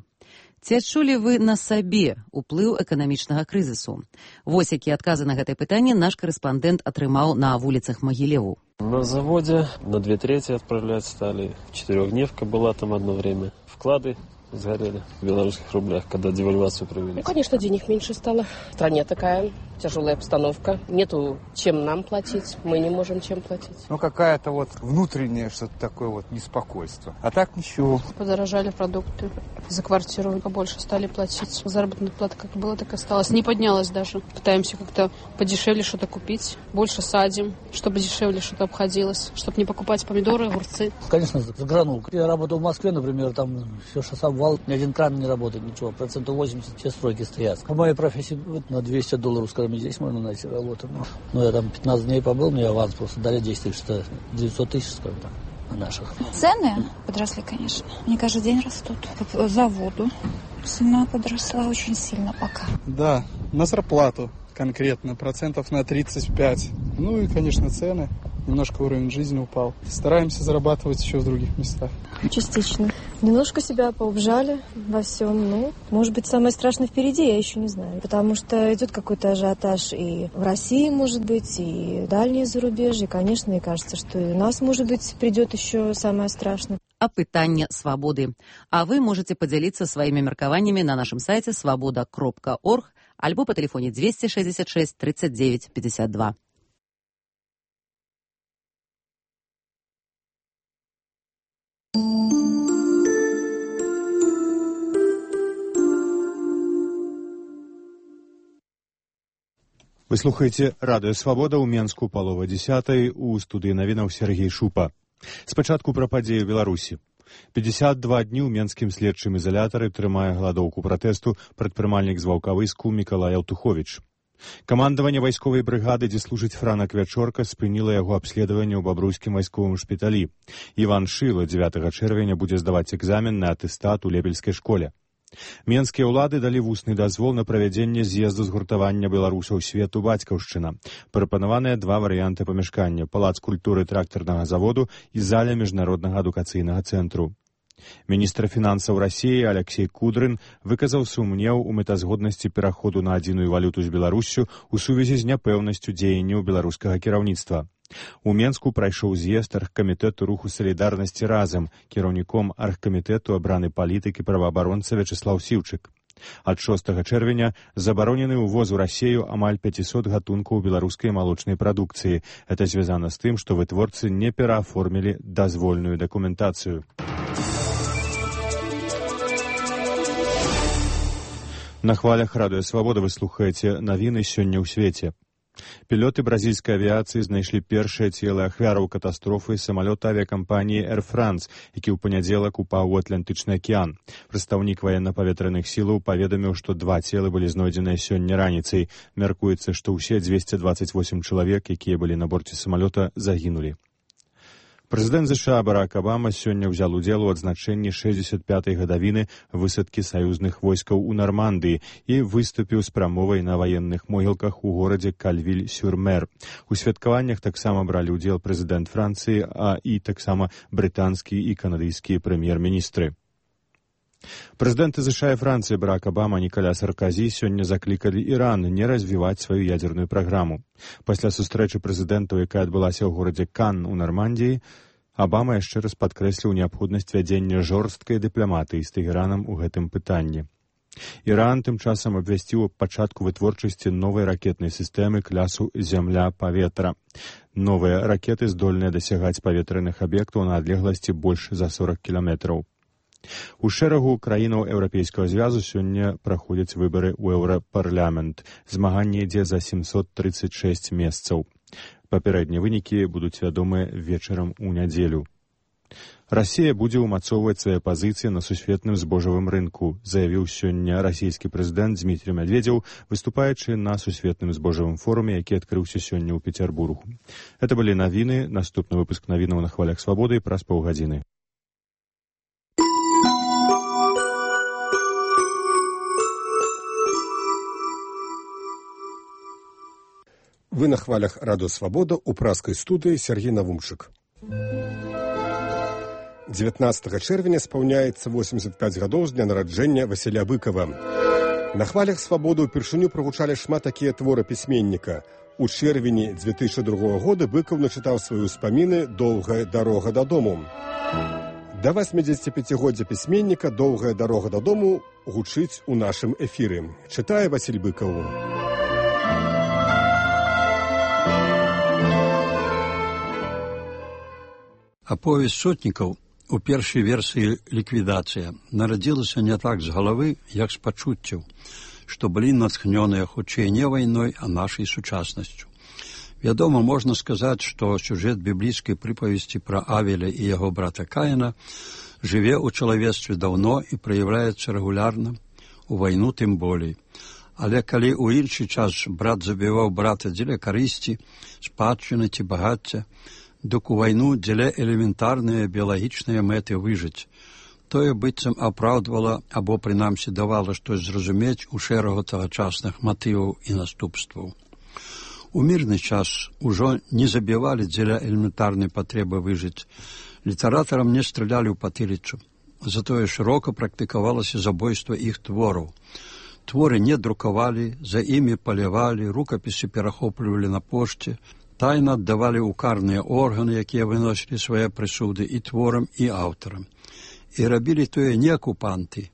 Ці адчулі вы на сабе ўплыў эканамічнага крызісу? Вось якія адказы на гэтае пытанне наш корэспандэнт атрымаў на вуліцах Магілеву. На заводе на 2/3 отправлять стали. 4-дневка была там одно время. Вклады сгорели в белорусских рублях, когда девальвацию провели. Ну, конечно, денег меньше стало. В стране такая тяжелая обстановка. Нету чем нам платить, мы не можем чем платить. Ну, какая-то вот внутреннее что-то такое вот неспокойство. А так ничего. Подорожали продукты. За квартиру побольше стали платить. Заработная плата как была, так и осталась. Не поднялась даже. Пытаемся как-то подешевле что-то купить. Больше садим, чтобы дешевле что-то обходилось. Чтобы не покупать помидоры, огурцы. Конечно, загранул. Я работал в Москве, например, там все шособвал. Ни один кран не работает, ничего. 80% все стройки стоят. По моей профессии вот, на $200, скажем, здесь можно найти работу. Но я там 15 дней побыл, мне аванс просто дали 10 тысяч, 900 тысяч, скажем так. Наших. Цены подросли, конечно. Они каждый день растут. За воду цена подросла очень сильно пока. Да, на зарплату конкретно, процентов на 35. Ну и, конечно, цены. Немножко уровень жизни упал. Стараемся зарабатывать еще в других местах. Частично. Немножко себя поубжали во всем. Ну, может быть, самое страшное впереди, я еще не знаю. Потому что идет какой-то ажиотаж и в России, может быть, и дальние зарубежья. И, конечно, мне кажется, что и у нас, может быть, придет еще самое страшное. Апытанне свабоды. А вы можете поделиться своими меркаваннями на нашем сайте svoboda.org альбо по телефоне 266 39 52. Вы слухаеце радыё Свабода ў Менску палова 10 у студыі навінаў Сергей Шупа. Спачатку пра падзеі ў Беларусі. 52 дні ў менскім следчым ізалятары трымае галадоўку пратэсту прадпрымальнік з Ваўкавыску Мікалай Аўтуховіч. Камандаванне вайсковай брыгады, дзе служыць Франак Вячорка, спыніла яго абследаванне ў бабруйскім вайсковым шпіталі. Іван Шыла 9 чэрвеня будзе здаваць экзамен на атэстат у Лепельскай школе. Менскія ўлады далі вусны дазвол на правядзенне з'езду згуртавання беларусаў свету бацькаўшчына. Прапанаваныя два варыянты памяшкання: палац культуры трактарнага заводу і заля міжнароднага адукацыйнага цэнтру. Міністр фінансаў Расіі Алексей Кудрын выказаў сумнеў у мэтазгоднасці пераходу на адзіную валюту з Беларуссю ў сувязі з няпэўнасцю дзеянняў беларускага кіраўніцтва. У Менску прайшоў з'езд аргкамітэту руху салідарнасці разам. Кіраўніком аргкамітэту абраны палітык і праваабаронца Вячеслаў Сіўчык. Ад 6 чэрвеня забаронены ўвоз у Расію амаль 500 гатункаў беларускай малочнай прадукцыі. Гэта звязана з тым, што вытворцы не перааформілі дазвольную дакументацыю. На хвалях радыё Свабода вы слухаеце навіны сёння ў свеце. Пілоты бразільскай авіяцыі знайшлі першае целы ахвяраў катастрофы самалёта авіякампаніі Air France, які ў панядзелак упаў у Атлантычны акіян. Прадстаўнік ваенна-паветраных сілаў паведаміў, што 2 целы былі знойдзеныя сёння раніцай. Мяркуецца, што ўсе 228 чалавек, якія былі на борце самалёта, загінулі. Прэзідэнт США Барак Абама сёння ўзял удзел у адзначэнні 65-й гадавіны высадкі саюзных войскаў у Нармандыі і выступіў з прамовай на ваенных могілках у горадзе Кальвіль-сюр-Мэр. У святкаваннях таксама бралі ўдзел прэзідэнт Францыі, і таксама брытанскі і канадыйскія прэм'ер-міністры. Прэзідэнты США і Францыі Барак Абама і Ніколя Сарказі сёння заклікалі Іран не развіваць сваю ядзерную праграму. Пасля сустрэчы прэзідэнтаў, якая адбылася ў горадзе Кан у Нармандіі, Абама яшчэ раз падкрэсліў неабходнасць вядзення жорсткай дыпламатыі з Тэгэранам у гэтым пытанні. Іран тым часам абвясціў пачатку вытворчасці новай ракетнай сістэмы клясу «Зямля-паветра». Новыя ракеты здольныя дасягаць паветраных аб'ектаў на адлегласці больш за 40 кіламетраў. У шэрагу краінаў Еўрапейскага звязу сёння праходзяць выбары ў Еўрапарламент. Змаганне ідзе за 736 месцаў. Папярэднія вынікі будуць вядомыя вечарам у нядзелю. Расія будзе ўмацоўваць свае пазіцыі на сусветным збожавым рынку, заявіў сёння расійскі прэзідэнт Дзмітрый Медведзеў, выступаючы на сусветным збожавым форуме, які адкрыўся сёння ў Пецярбургу. Гэта былі навіны. Наступны выпуск навінаў на хвалях свабоды праз паўгадзіны. Вы на хвалях радыё Свабода ў празкай студыі Сергей Навумчык. 19 чэрвеня спаўняецца 85 гадоў з дня нараджэння Васіля Быкава. На хвалях Свабоды ўпершыню прагучалі шмат такія творы пісьменніка. У чэрвені 2002 года Быкаў начытаў свае ўспаміны «Доўгая дарога дадому». Да 85-годдзя пісьменніка «Доўгая дарога дадому» гучыць у нашым эфіры. Чытае Васіль Быкаў. Аповесць сотнікаў у першай версіі ліквідацыя нарадзілася не так з галавы, як з пачуццяў, што былі натхнёныя хутчэй не вайной, а нашай сучаснасцю. Вядома, можна сказаць, што сюжэт біблійскай прыпавесці пра Авеля і яго брата Каіна жыве ў чалавецтве даўно і праяўляецца рэгулярна, у вайну тым болей. Але калі ў іншы час брат забіваў брата дзеля карысці, спадчыны ці багацця, дык у вайну дзеля элементарныя біялагічныя мэты выжыць. Тое быццам апраўдвала або, прынамсі, давала штось зразумець у шэрагу тагачасных матываў і наступстваў. У мірны час ужо не забівалі дзеля элементарнай патрэбы выжыць. Літаратарам не стралялі ў патыліцу. Затое шырока практыкавалася забойства іх твораў. Творы не друкавалі, за імі палявалі, рукапісы перахоплівалі на пошце, тайна аддавалі ў карныя органы, якія выносілі свае прысуды і творам, і аўтарам. І рабілі тое не акупанты,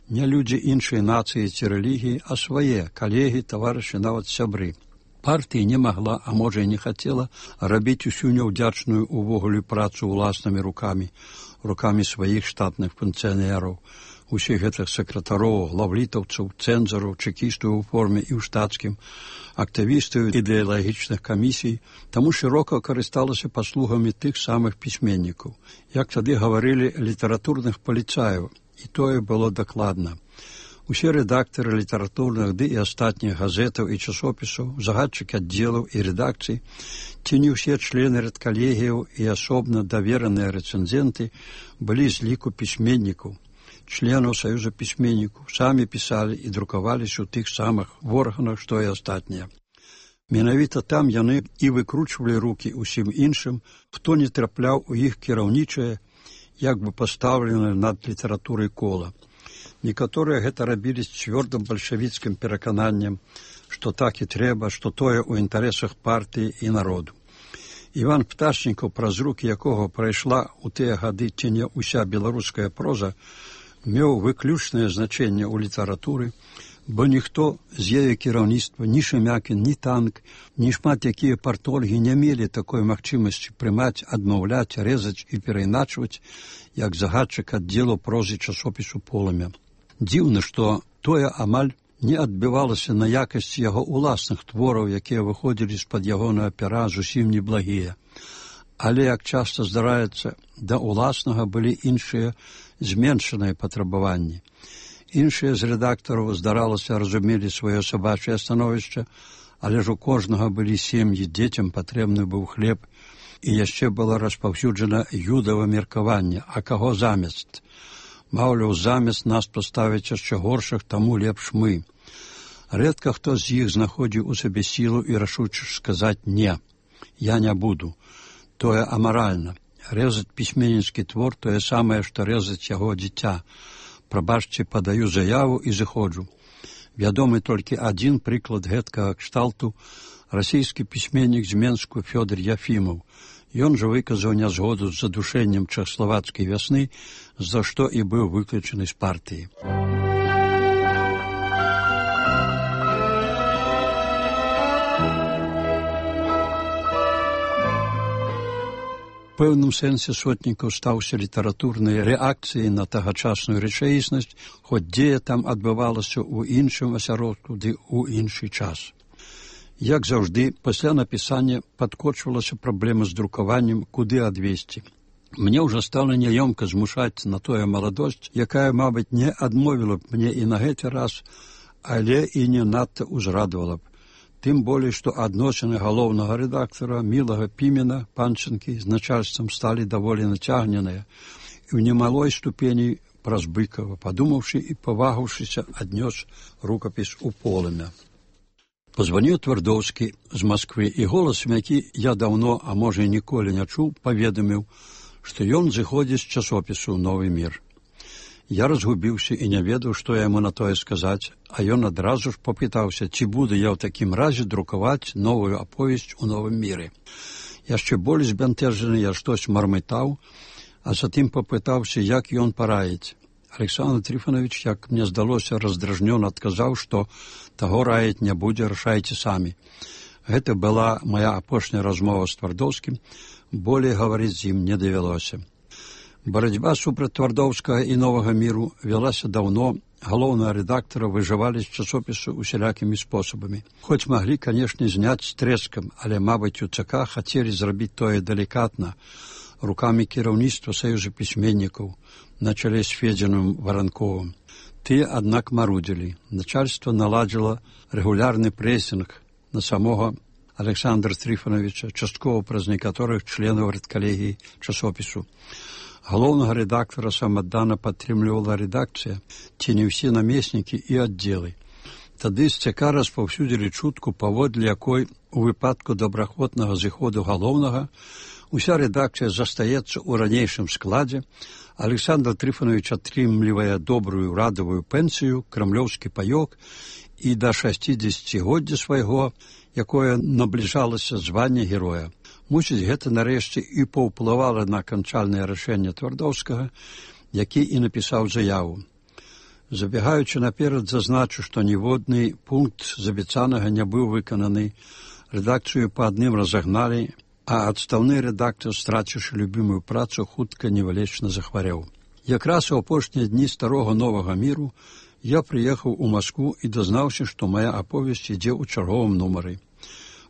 не людзі іншай нацыі ці рэлігіі, а свае калегі, таварышы, нават сябры. Партія не магла, а можа і не хацела, рабіць усю няўдзячную увогуле працу ўласнымі рукамі сваіх штатных функцыянераў, усіх гэтых сакратароў, главлітаўцаў, цэнзараў, чэкістаў у форме і ў штатскім, актывістаў ідэалагічных камісій, таму шырока карысталася паслугамі тых самых пісьменнікаў. Як тады гаварылі, літаратурных паліцаяў, і тое было дакладна. Усе рэдактары літаратурных ды і астатніх газетаў і часопісаў, загадчыкі аддзелаў і рэдакцый, ці не ўсе члены рэдкалегіяў і асобна давераныя рэцэнзенты былі з ліку пісьменнікаў, членаў Саюза пісьменнікаў, самі пісалі і друкаваліся ў тых самых органах, што і астатнія. Менавіта там яны і выкручвалі рукі ўсім іншым, хто не трапляў у іх кіраўнічае, як бы пастаўленае над літаратурай кола. Некаторыя гэта рабілі з цвёрдым бальшавіцкім перакананнем, што так і трэба, што тое ў інтарэсах партыі і народу. Іван Пташнікаў, праз рукі якога прайшла ў тыя гады ці не ўся беларуская проза, меў выключнае значэнне ў літаратуры, бо ніхто з яе кіраўніцтва, ні Шемякін, ні Танк, ні шмат якія партольгі не мелі такой магчымасці прымаць, адмаўляць, рэзаць і перайначваць, як загадчык аддзелу прозы часопісу «Полымя». Дзіўна, што тое амаль не адбівалася на якасці яго ўласных твораў, якія выходзілі з-пад ягонага пера зусім неблагія. Але, як часта здараецца, да ўласнага былі іншыя зменшаныя патрабаванні. Іншыя з рэдактараў, здаралася, разумелі сваё сабачае становішча, але ж у кожнага былі сем'і, дзецям патрэбны быў хлеб, і яшчэ было распаўсюджана юдава меркаванне, а каго замест? Маўляў, замест нас паставяць яшчэ горшых, таму лепш мы. Рэдка хто з іх знаходзіў у сабе сілу і рашучасць сказаць «не, я не буду». Тое амаральна. Рэзаць пісьменніцкі твор тое самае, што рэзаць яго дзіця. Прабачце, падаю заяву і зыходжу. Вядомы толькі адзін прыклад гэткага кшталту – расійскі пісьменнік з Менску Фёдор Яфімаў. Ён жа выказаў нязгоду з задушэннем чэхаславацкай вясны, за што і быў выключаны з партыі. У пэўным сэнсе Сотнікаў стаўся літаратурнай рэакцыяй на тагачасную рэчаіснасць, хоць дзея там адбывалася ў іншым асяродку ды ў іншы час. Як заўжды, пасля напісання падкочвалася праблема з друкаваннем, куды адвесці. Мне ўжо стала няёмка змушаць на тое маладосць, якая, мабыць, не адмовіла б мне і на гэты раз, але і не надта ўзрадавала б. Тым болей, што адносіны галоўнага рэдактара Мілага Пімена, Панчынкі, з начальствам сталі даволі нацягненыя і ў немалой ступені праз Быкава, падумаўшы і павагаўшыся, аднёс рукапіс у «Полымя». Позваніў Твардоўскі з Масквы, і голасам, які я даўно, а можа і ніколі не чуў, паведаміў, што ён зыходзіць з часопісу «Новы мір». Я разгубіўся і не ведаў, што яму на тое сказаць, а ён адразу ж попытаўся, ці буду я ў такім разе друкаваць новую аповесць у «Новым міры». Яшчэ болей збянтэжаны я штось мармытаў, а затым попытаўся, як ён параіць. Александр Трифонович, як мне здалося, раздражнёна адказаў, што таго раіць не будзе, рашайце самі. Гэта была моя апошняя размова з Твардоўскім, Болей гаварыць з ім не давялося. Барацьба супраць Твардоўскага і Новага міру вялася даўно. Галоўнага рэдактара выжывалі з часопісу усялякімі спосабамі. Хоць маглі, канешне, зняць з трэскам, але, мабыць, у ЦК хацелі зрабіць тое далікатна, рукамі кіраўніцтва Саюза пісьменнікаў на чале з Федзіным Варанковым. Тыя, аднак, марудзілі. Начальства наладзіла рэгулярны прэсінг на самога Александра Трифоновича, часткова праз некаторых членаў рэдкалегіі часопісу. Галоўнага рэдактара самаддана падтрымлівала рэдакцыя, ці не ўсе намеснікі і аддзелы. Тады з ЦК распаўсюдзілі чутку, паводле якой у выпадку добраахвотнага зыходу галоўнага уся рэдакцыя застаецца ў ранейшым складзе, Александр Трифонович атрымлівае добрую радавую пенсію, крамлёўскі паёк і да 60годдзя свайго, якое набліжалася звання героя. Мусіць, гэта нарэшце і паўплывала на канчальнае рашэнне Твардоўскага, які і напісаў заяву. Забегаючы наперад, зазначу, што ніводны пункт з абяцанага не быў выкананы, рэдакцыю па адным разагналі, а адстаўны рэдактар, страціўшы любімую працу, хутка невылечна захварэў. Якраз у апошнія дні старога Новага міру я прыехаў у Маскву і дазнаўся, што мая аповесць ідзе ў чарговым нумары.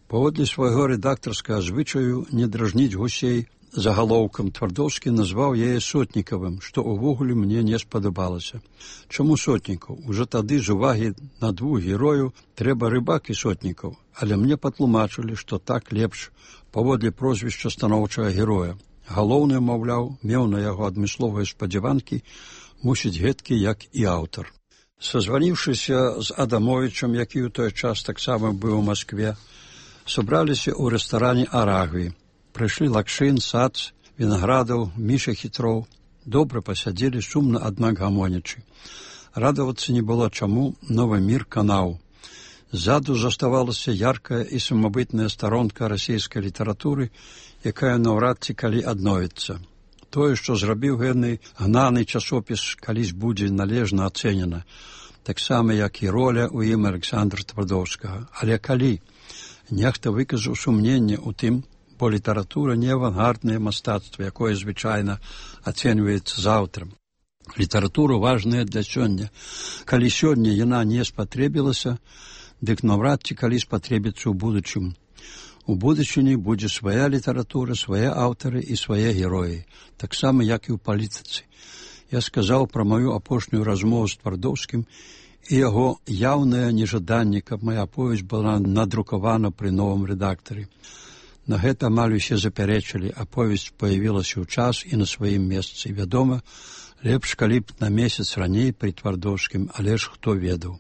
Паводле свайго рэдактарскага звычаю не дражніць гусей загалоўкам, Твардоўскі назваў яе Сотнікавым, што ўвогуле мне не спадабалася. Чаму Сотнікаў? Ужо тады з увагі на двух герою трэба Рыбак і Сотнікаў, але мне патлумачылі, што так лепш паводле прозвішча станоўчага героя. Галоўны, маўляў, меў на яго адмысловыя спадзяванкі, мусіць гэткі, як і аўтар. Сазваніўшыся з Адамовічам, які ў той час таксама быў у Маскве, сабраліся ў рэстаране «Арагві». Прыйшлі Лакшын, Сац, Вінаградаў, Міша Хітроў. Добра пасядзелі, сумна, аднак гамонячы. Радавацца не было чаму, Новы мір канаў. Ззаду заставалася яркая і самабытная старонка расійскай літаратуры, якая наўрад ці калі адновіцца. Тое, што зрабіў гэны гнаны часопіс, калісь будзе належна ацэнена, таксама, як і роля ў ім Александра Твардоўскага. Але калі? Нехта выказаў сумненне ў тым, бо літаратура не авангарднае мастацтва, якое звычайна ацэньваецца заўтрам. Літаратура важная для сёння. Калі сёння яна не спатрэбілася, дык наўрад ці калі спатрэбіцца ў будучым. У будучыні будзе свая літаратура, свае аўтары і свае героі, таксама, як і ў палітыцы. Я сказаў пра маю апошнюю размову з Твардоўскім і яго яўнае нежаданне, каб мая аповесць была надрукавана пры новым рэдактары. На гэта амаль усе запярэчылі, аповесць паявілася ў час і на сваім месцы. Вядома, лепш, калі б на месяц раней пры Твардоўскім, але ж хто ведаў.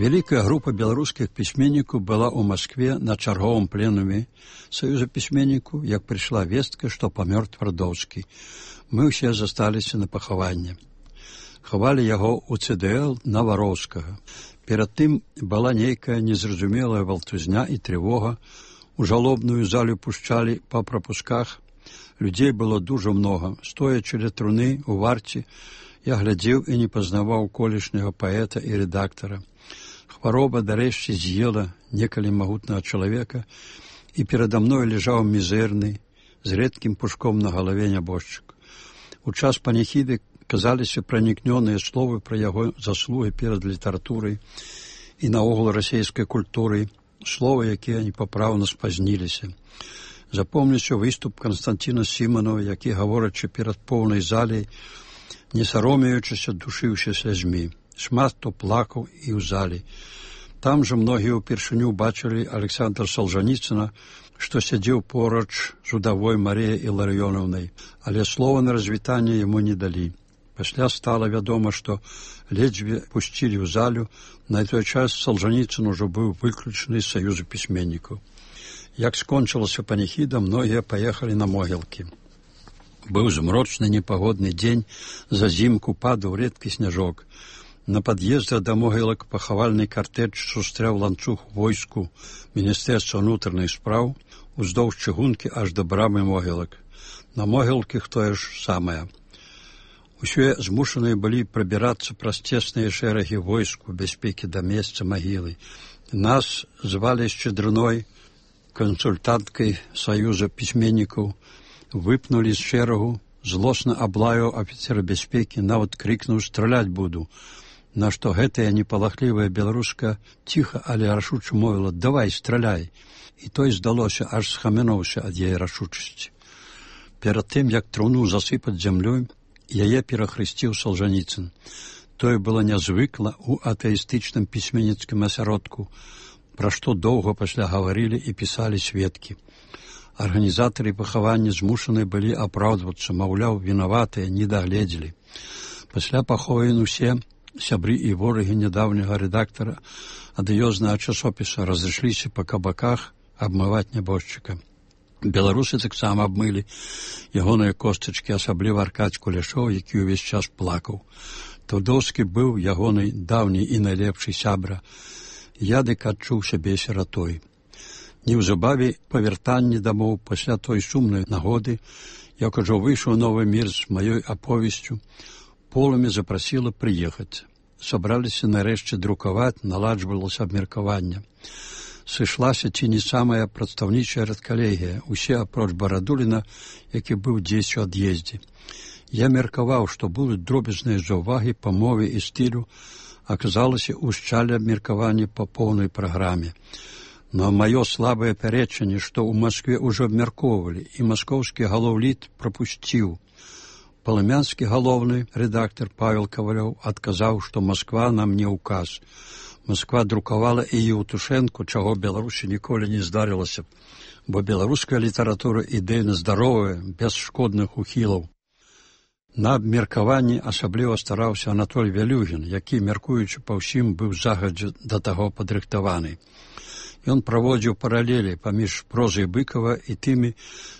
Вялікая група беларускіх пісьменнікаў была ў Маскве на чарговым пленуме Саюза пісьменнікаў, як прыйшла вестка, што памёр Твардоўскі. Мы ўсе засталіся на пахаванне. Хавалі яго ў ЦДЛ Навароўскага. Перад тым была нейкая незразумелая валтузня і трывога. У жалобную залю пушчалі па прапусках. Людзей было дужа многа. Стоячы ля труны у варце, я глядзеў і не пазнаваў колішняга паэта і рэдактара. Хвароба дарэшце з'ела некалі магутнага чалавека, і перада мной ляжаў мізэрны, з рэдкім пушком на галаве нябожчык. У час паніхіды казаліся пранікнёныя словы пра яго заслугі перад літаратурай і наогул расійскай культурай, словы, якія непапраўна спазніліся. Запомніўся выступ Канстанціна Сіманова, які, гаворачы перад поўнай залей, не саромеючыся, душыўся слязьмі. Шмат хто плакаў і ў залі. Там жа многія ўпершыню бачылі Александра Солжаніцына, што сядзеў поруч з удавой Марыяй Іларыёнаўнай, але слова на развітанне яму не далі. Пасля стала вядома, што ледзьве пусцілі ў залю, на той час Солжаніцын ужо быў выключаны з Саюза пісьменнікаў. Як скончылася паніхіда, многія паехалі на могілкі. Быў змрочны непагодны дзень, зазімку падаў рэдкі сняжок. На пад'ездах да могілак пахавальны картэж сустрэў ланцуг войску Міністэрства ўнутраных спраў уздоўж чыгункі аж да брамы могілак. На могілках тое ж самае. Усе змушаныя былі прабірацца праз цесныя шэрагі войск у бяспекі да месца магілы. Нас звалі Шчедрыной, кансультанткай Саюза пісьменнікаў, выпнулі з шэрагу, злосна аблаяў афіцера бяспекі, нават крыкнуў «Страляць буду», на што гэтая непалахлівая беларуска ціха, але рашуча мовіла «Давай, страляй». І той, здалося, аж схамянуўся ад яе рашучасці. Перад тым, як труну засыпаць зямлёй, яе перахрысціў Салжаніцын. Тое было нязвыкла ў атэістычным пісьменніцкім асяродку, пра што доўга пасля гаварылі і пісалі сведкі. Арганізатары пахавання змушаны былі апраўдвацца, маўляў, вінаватыя, не дагледзелі. Пасля паховін усе сябры і ворагі нядаўняга рэдактара адыёзнага часопіса разышліся па кабаках абмываць нябожчыка. Беларусы таксама абмылі ягоныя костачкі, асабліва Аркадзь Кулешоў, які ўвесь час плакаў. Твардоўскі быў ягонай даўні і найлепшы сябра. Я дык адчуў сябе сіратой. Неўзабаве па вяртанні дамоў пасля той сумнай нагоды, як ужо выйшаў новы мір з маёй аповесцю, Полымя запрасіла прыехаць. Сабраліся нарэшце друкаваць, наладжвалася абмеркаванне. Сышлася ці не самая прадстаўнічая рэдкалегія, усе апроч Барадуліна, які быў дзесь у ад'ездзе. Я меркаваў, што будуць дробязныя заўвагі па мове і стылю, аказалася ўшчалі абмеркаванне па поўнай праграме. Но маё слабае пярэчанне, што ў Маскве ўжо абмяркоўвалі, і маскоўскі галоўліт прапусціў. Палымянскі галоўны рэдактар Павел Кавалёў адказаў, што Масква нам не ўказ. Масква друкавала і Еўтушэнку, чаго Беларусі ніколі не здарылася, бо беларуская літаратура ідэйна здаровая, без шкодных ухілаў. На абмеркаванні асабліва стараўся Анатоль Вялюгін, які, мяркуючы па ўсім, быў загадзя да таго падрыхтаваны. Ён праводзіў паралелі паміж прозай Быкава і тымі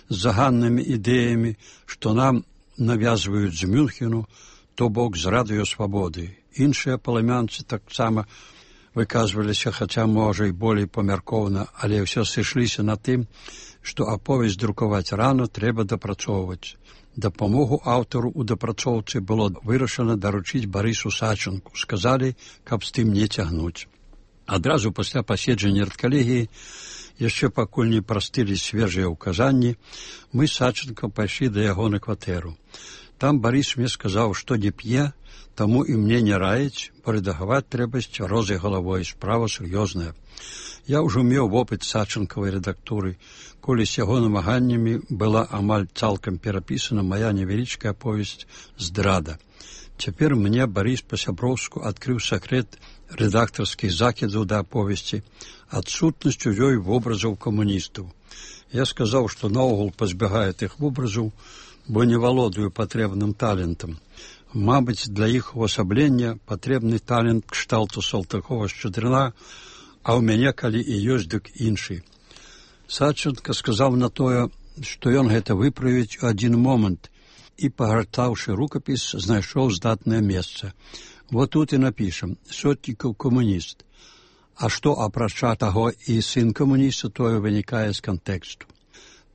заганнымі ідэямі, што нам навязваюць з Мюнхену, то бок з радыёсвабоды. Іншыя палымянцы таксама выказваліся, хаця, можа, і болей памяркоўна, але ўсё сышліся на тым, што аповесць друкаваць рано трэба дапрацоўваць. Дапамогу аўтару ў дапрацоўцы было вырашана даручыць Барысу Сачынку. Сказалі, каб з тым не цягнуць. Адразу пасля паседжання рэдкалегіі, яшчэ пакуль не прастылі свежыя ўказанні, мы з Сачынкам пайшлі да яго на кватэру. Там Барыс мне сказаў, што не п'е, таму і мне не раіць, бо рэдагаваць трэба з цвярозай галавой, справа сур'ёзная. Я ўжо меў вопыт Сачынкавай рэдактуры, коли з яго намаганнямі была амаль цалкам перапісана мая невялічкая аповесць «Здрада». Цяпер мне Барыс па-сяброўску адкрыў сакрэт рэдактарскіх закідаў да аповесці, адсутнасць у ёй вобразаў камуністаў. Я сказаў, што наогул пазбягаю тых вобразаў, бо не валодаю патрэбным талентам. Мабыць, для іх увасаблення патрэбны талент кшталту Салтыкова-Шчедрына, а ў мяне, калі і ёсць, дык іншы. Сачынка сказаў на тое, што ён гэта выправіць у адзін момант, і, пагартаўшы рукапіс, знайшоў здатнае месца. Вот тут і напішам «Сотнікаў камуніст». А што, апрача таго, і сын камуніста, тое вынікае з кантэксту.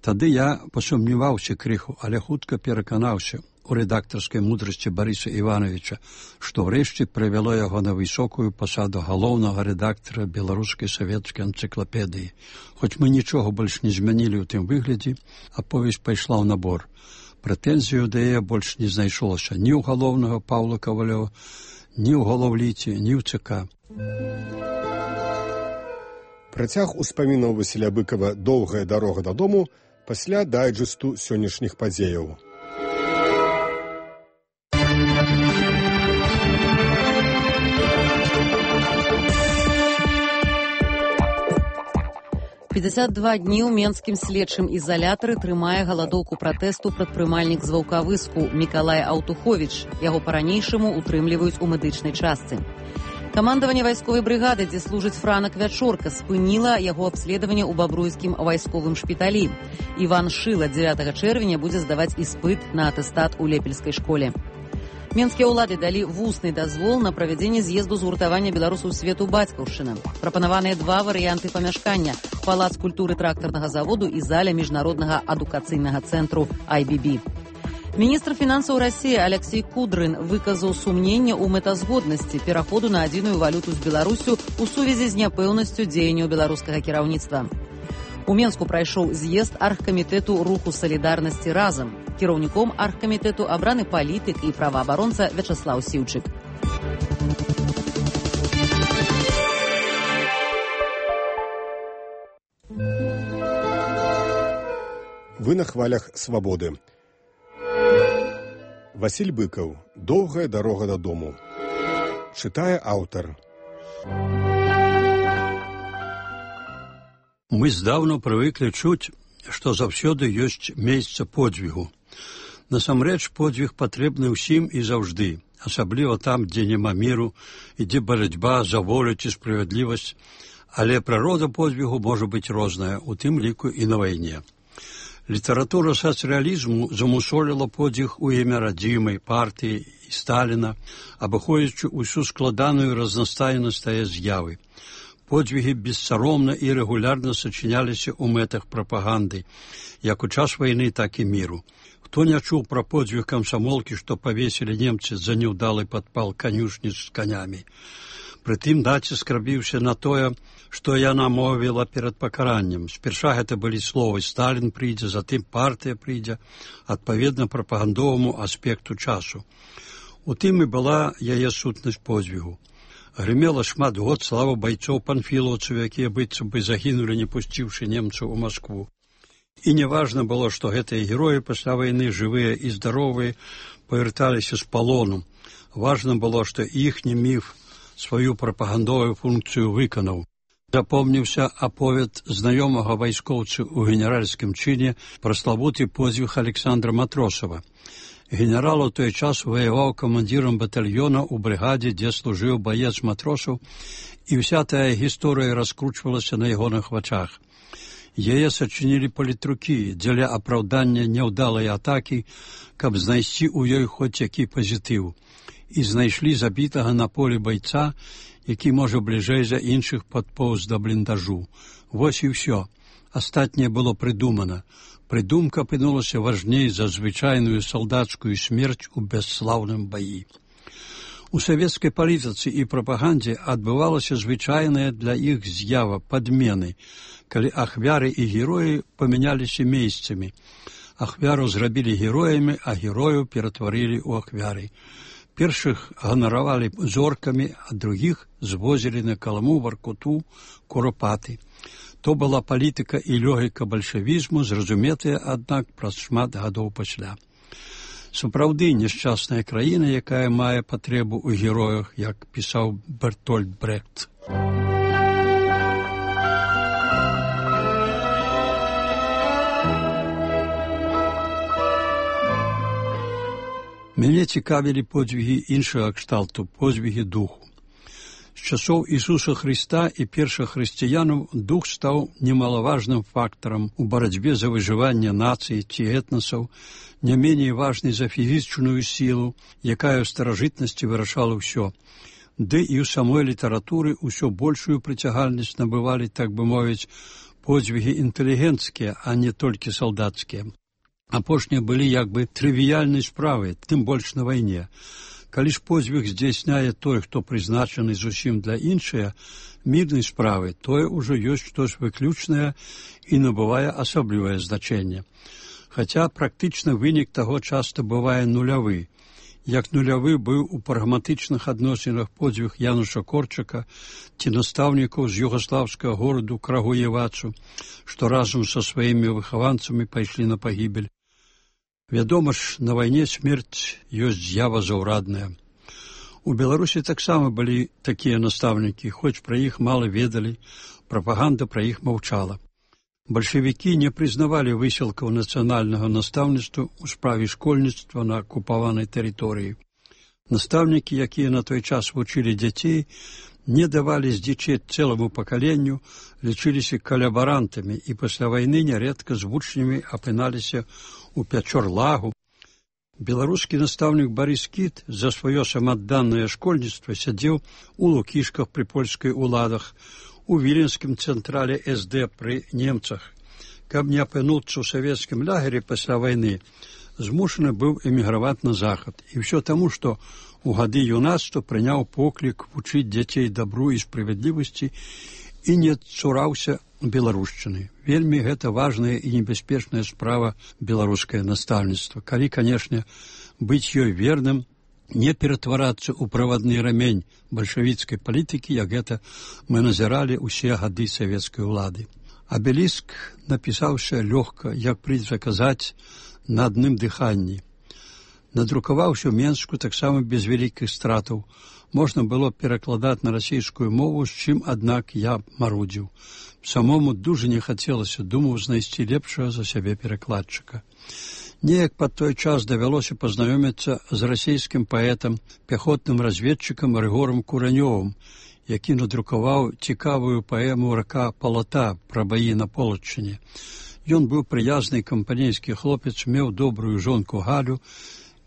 Тады я пасумніваўся крыху, але хутка пераканаўся у рэдактарскай мудрасці Барыса Івановича, што ўрэшце прывяло яго на высокую пасаду галоўнага рэдактара беларускай савецкай энцыклапедыі. Хоць мы нічога больш не змянілі ў тым выглядзе, аповесць пайшла ў набор. Прэтэнзію да яе больш не знайшлося ні ў галоўнага Паўла Кавалёва, ні ў галоўліце, ні ў ЦК. Працяг успамінаў Васіля Быкава «Доўгая дарога дадому» пасля дайджэсту сённяшніх падзеяў. «52 дні ў менскім следчым ізалятары трымае галадоўку пратэсту прадпрымальнік з Ваўкавыску Мікалай Аўтуховіч. Яго па-ранейшаму утрымліваюць у медычнай частцы. Камандаванне вайсковай брыгады, дзе служыць Франак Вячорка, спыніла яго абследаванне ў бабруйскім вайсковым шпіталі. Іван Шыла 9 чэрвеня будзе здаваць іспыт на атэстат у Лепельскай школе. Менскія ўлады далі вусны дазвол на правядзенне з'езду згуртавання беларусаў свету бацькаўшчына. Прапанаваныя два варыянты памяшкання – палац культуры трактарнага заводу і заля міжнароднага адукацыйнага цэнтру IBB. Міністр фінансаў Расіі Алексей Кудрын выказаў сумненне ў мэтазгоднасці пераходу на адзіную валюту з Беларусю ў сувязі з няпэўнасцю дзеянняў беларускага кіраўніцтва. У Менску прайшоў з'езд аргкамітэту руху салідарнасці разам. Кіраўніком аргкамітэту абраны палітык і праваабаронца Вячаслаў Сіўчык. Вы на хвалях свабоды. Васіль Быкаў. Доўгая дарога дадому. Чытае аўтар. Мы здаўна прывыклі чуць, што заўсёды ёсць месца подзвігу. Насамрэч, подзвіг патрэбны ўсім і заўжды, асабліва там, дзе няма міру, ідзе барацьба за волю ці справядлівасць, але прырода подзвігу можа быць розная, у тым ліку і на вайне. Літаратура сацыялізму замусоліла подзвіг у імя радзімай, партыі і Сталіна, абыходзячы ўсю складаную разнастайнасць тае з'явы. Подзвігі бессаромна і рэгулярна сачыняліся ў мэтах прапаганды, як у час вайны, так і міру. Хто не чуў пра подзвіг камсамолкі, што павесілі немцы за няўдалы падпал канюшні з канямі? Прытым націск рабіўся на тое, што яна мовіла перад пакараннем. Спярша гэта былі словы «Сталін прыйдзе», затым «партыя прыйдзе», адпаведна прапагандоваму аспекту часу. У тым і была яе сутнасць подзвігу. Грымела шмат год слава байцоў панфілаўцаў, якія быццам бы загінулі, не пусціўшы немцаў у Маскву. І неважна было, што гэтыя героі пасля вайны, жывыя і здаровыя, павярталіся з палону. Важна было, што іхні міф сваю прапагандовую функцыю выканаў. Запомніўся аповед знаёмага вайскоўцы ў генеральскім чыне пра славуты подзвіг Александра Матросава. Генерал у той час ваяваў камандзірам батальёна ў брыгадзе, дзе служыў баец Матросаў, і ўся тая гісторыя раскручвалася на ягоных вачах. Яе сачынілі палітрукі дзеля апраўдання няўдалай атакі, каб знайсці ў ёй хоць які пазітыў. І знайшлі забітага на полі байца, які, можа, бліжэй за іншых падпоўз да бліндажу. Вось і ўсё. Астатняе было прыдумана. Прыдумка апынулася важней за звычайную салдацкую смерць у бясслаўным баі. У савецкай палітыцы і прапагандзе адбывалася звычайная для іх з'ява падмены, калі ахвяры і героі памяняліся месцамі. Ахвяру зрабілі героямі, а герою ператварылі ў ахвяры. Першых ганаравалі зоркамі, а другіх звозілі на Каламу, Варкуту, Куропаты. То была палітыка і логіка бальшавізму, зразуметая, аднак, праз шмат гадоў пасля. Сапраўды няшчасная краіна, якая мае патрэбу ў героях, як пісаў Бертольд Брехт. Мяне цікавілі подзвігі іншага кшталту, подзвігі духу. З часоў Ісуса Хрыста і першых хрысціянаў дух стаў немалаважным фактарам у барацьбе за выжыванне нацыі ці этнасаў, не меней важнай за фізічную сілу, якая ў старажытнасці вырашала ўсё. Ды і ў самой літаратуры ўсё большую прыцягальнасць набывалі, так бы мовіць, подзвігі інтэлігенцкія, а не толькі салдацкія. Апошнія былі як бы трывіяльнай справай, тым больш на вайне. Калі ж подзвіг здзяйсняе той, хто прызначаны зусім для іншыя, мірнай справы, тое ўжо ёсць штось выключнае і набывае асаблівае значэнне. Хаця практычна вынік таго часта бывае нулявы. Як нулявы быў у прагматычных адносінах подзвіг Януша Корчака ці настаўнікаў з югаслаўскага гораду Крагуевацу, што разам са сваімі выхаванцамі пайшлі на пагібель. Вядома ж, на вайне смерць ёсць з'ява заўрадная. У Беларусі таксама былі такія настаўнікі, хоць пра іх мала ведалі, прапаганда пра іх маўчала. Бальшавікі не прызнавалі высілкаў нацыянальнага настаўніцтва ў справе школьніцтва на акупаванай тэрыторыі. Настаўнікі, якія на той час вучылі дзяцей, не давалі здзічець цэламу пакаленню, лічыліся калабарантамі і пасля вайны нярэдка з вучнямі апыналіся у Пячор-Лагу. Беларускі настаўнік Барыс Кіт за сваё самаадданае школьніцтва сядзеў у Лукішках пры польскай уладах, у Віленскім цэнтрале СД пры немцах. Каб не апынуцца ў савецкім лагеры пасля вайны, змушаны быў эміграваць на захад. І ўсё таму, што у гады юнацтва прыняў поклік вучыць дзяцей дабру і справядлівасці і не цураўся беларушчыны. Вельмі гэта важная і небяспечная справа беларускае настаўніцтва. Калі, канешне, быць ёй верным, не ператварацца ў правадны рамень бальшавіцкай палітыкі, як гэта мы назіралі ўсе гады савецкай улады. Абеліск напісаўся лёгка, як прыйдзецца казаць, на адным дыханні. Надрукаваўся ў Менску таксама без вялікіх стратаў. Можна было перакладаць на расійскую мову, з чым, аднак, я марудзіў. Самому дужа не хацелася, думаў знайсці лепшага за сябе перакладчыка. Неяк пад той час давялося пазнаёміцца з расійскім паэтам, пяхотным разведчыкам Рыгорам Куранёвым, які надрукаваў цікавую паэму «Рака Палата» пра баі на Полаччыне. Ён быў прыязны кампанейскі хлопец, меў добрую жонку Галю,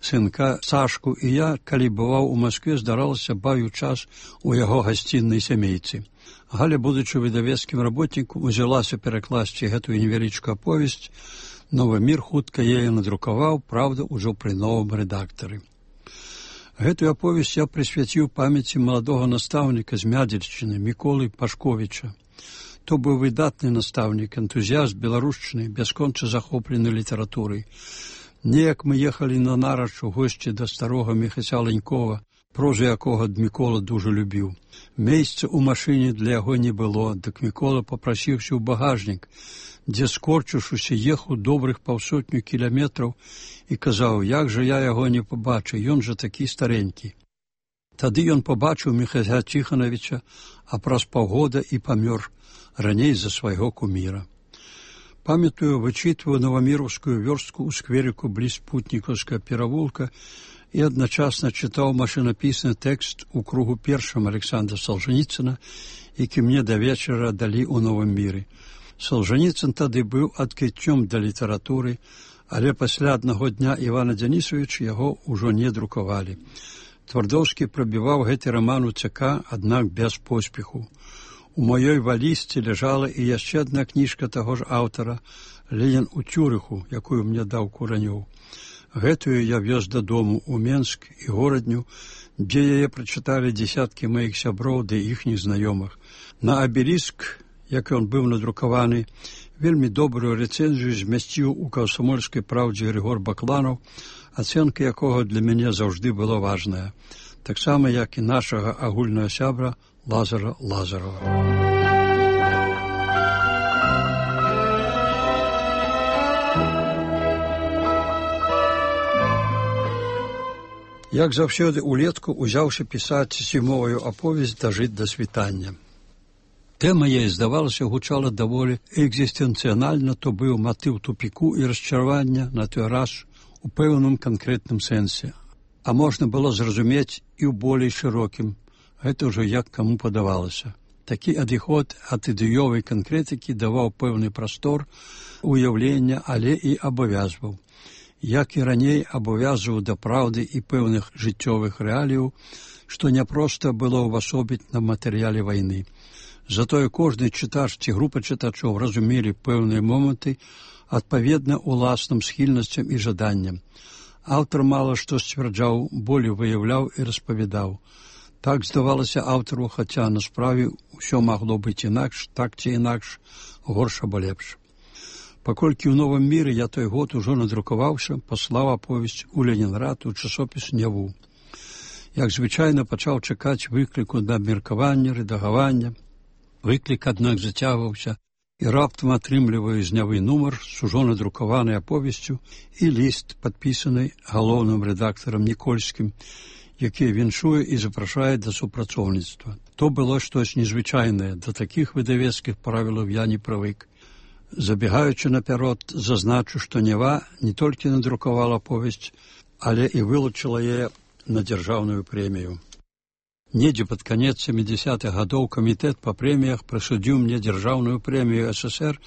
сынка Сашку, і я, калі бываў у Маскве, здаралася бавіў час у яго гасціннай сямейцы. Галя, будучы выдавецкім работнікам, узялася перакласці гэтую невялічкую аповесць. «Новы мір» хутка яе надрукаваў, правда, ужо пры новым рэдактары. Гэтую аповесць я прысвяціў памяці маладога настаўніка з Мядзельшчыны Міколы Пашковіча. То быў выдатны настаўнік, энтузіяст беларушчыны, бясконца захоплены літаратурай. Неяк мы ехалі на нарач у госці да старога Міхася Ленькова, прозу якога Мікола дужа любіў. Месца ў машыне для яго не было, дык Мікола папрасіўся ў багажнік, дзе, скорчыўшыся, ехаў добрых 500 кіламетраў і казаў, як жа я яго не пабачу, ён жа такі старенькі. Тады ён пабачыў Міхася Ціханавіча, а праз паўгода і памёр, раней за свайго куміра. Памятаю, вычытваю Новаміраўскую вёрстку ў скверыку бліз Путнікаўскага перавулка і адначасна чытаў машынапісны тэкст у кругу першым Александра Солженіцына, які мне да вечара далі ў Новым міры. Солженіцын тады быў адкрыццём да літаратуры, але пасля аднаго дня Івана Дзянісавіча яго ўжо не друкавалі. Твардоўскі прабіваў гэты раман у ЦК, аднак без поспеху. У маёй валізцы ляжала і яшчэ адна кніжка таго ж аўтара «Ленін у Цюрыху», якую мне даў Куранёў. Гэтую я вёз дадому ў Менск і горадню, дзе яе прачыталі дзесяткі маіх сяброў ды іхніх знаёмых. На абеліск, як ён быў надрукаваны, вельмі добрую рэцэнзію змясціў у «Камсамольскай праўдзе» Григор Бакланаў, ацэнка якога для мяне заўжды была важная, таксама як і нашага агульнага сябра Лазара Лазарова. Як заўсёды улетку узяўся пісаць зімовую аповесць «Дажыць да світання». Тэма яе, здавалася, гучала даволі экзістэнцыянальна, то быў матыў тупіку і расчаравання на той раз у пэўным канкрэтным сэнсе. А можна было зразумець і ў болей шырокім. Гэта ўжо як каму падавалася. Такі адыход ад ідэёвай канкрэтыкі даваў пэўны прастор уяўлення, але і абавязваў. Як і раней абавязваў да праўды і пэўных жыццёвых рэаліяў, што няпроста было ўвасобіць на матэрыяле вайны. Затое кожны чытач ці група чытачоў разумелі пэўныя моманты адпаведна уласным схільнасцям і жаданням. Аўтар мала што сцвярджаў, болей выяўляў і распавядаў. Так здавалася аўтару, хаця на справе ўсё магло быць інакш, так ці інакш, горш або лепш. Паколькі ў Новым міры я той год ужо надрукаваўся, паслаў аповесць у Ленінград у часопіс «Няву». Як звычайна пачаў чакаць выкліку на абмеркаванне, рэдагавання. Выклік, аднак, зацягваўся, і раптам атрымліваю з «Нявы» нумар з ужо надрукаванай аповесцю і ліст, падпісаны галоўным рэдактарам Нікольскім, які віншуе і запрашае да супрацоўніцтва. То было штось незвычайнае, да такіх выдавецкіх правілаў я не прывык. Забегаючы наперад, зазначу, што «Нява» не толькі надрукавала аповесць, але і вылучыла яе на дзяржаўную прэмію. Недзе пад канец 70-х гадоў камітэт па прэміях прысудзіў мне дзяржаўную прэмію СССР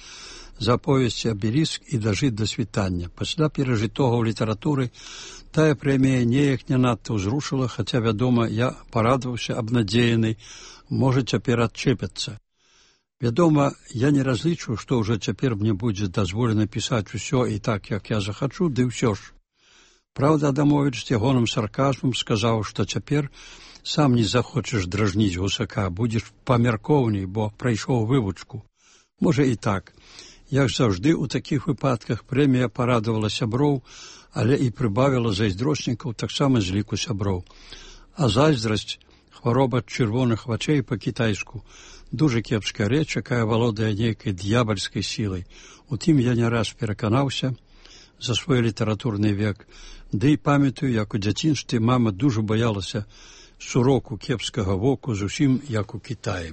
за аповесці «Абеліск» і «Дажыць да світання». Пасля перажытога ў літаратуры тая прэмія неяк не надта ўзрушыла, хаця, вядома, я парадаваўся абнадзеяны, можа цяпер адчэпяцца. Вядома, я не разлічваў, што ўжо цяпер мне будзе дазволена пісаць усё і так, як я захачу, ды ўсё ж. Праўда, Адамовіч з ягоным сарказмам сказаў, што цяпер сам не захочаш дражніць гусака, будзеш памяркоўней, бо прайшоў вывучку. Можа і так. Як заўжды, у такіх выпадках прэмія парадавала сяброў, але і прыбавіла зайздроснікаў таксама з ліку сяброў. А зайздрасць, хвароба чырвоных вачэй па-кітайску, дуже кепская рэч, якая валодае нейкай д'ябальскай сілай. У тым я не раз пераканаўся за свой літаратурны век, ды і памятаю, як у дзяцінстве мама дуже баялася суроку кепскага воку, зусім як у Кітаі.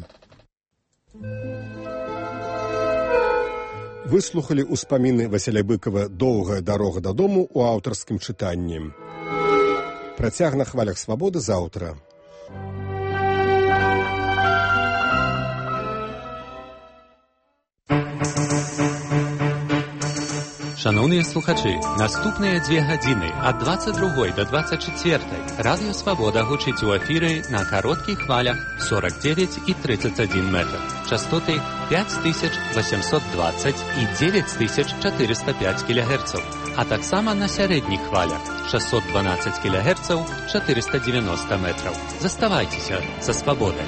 Выслухалі ўспаміны Васіля Быкова «Доўгая дарога дадому» у аўтарскім чытанні. Працяг на хвалях свабоды заўтра. Шановні слухачі, наступні 2 гадзини ад 22 до 24 Радіо Свобода гучить у ефірі на коротких хвалях 49 і 31 метр. Частоти 5820 і 9405 кГц, а так само на середніх хвалях 612 кГц, 490 метрів. Заставайтеся за свободою.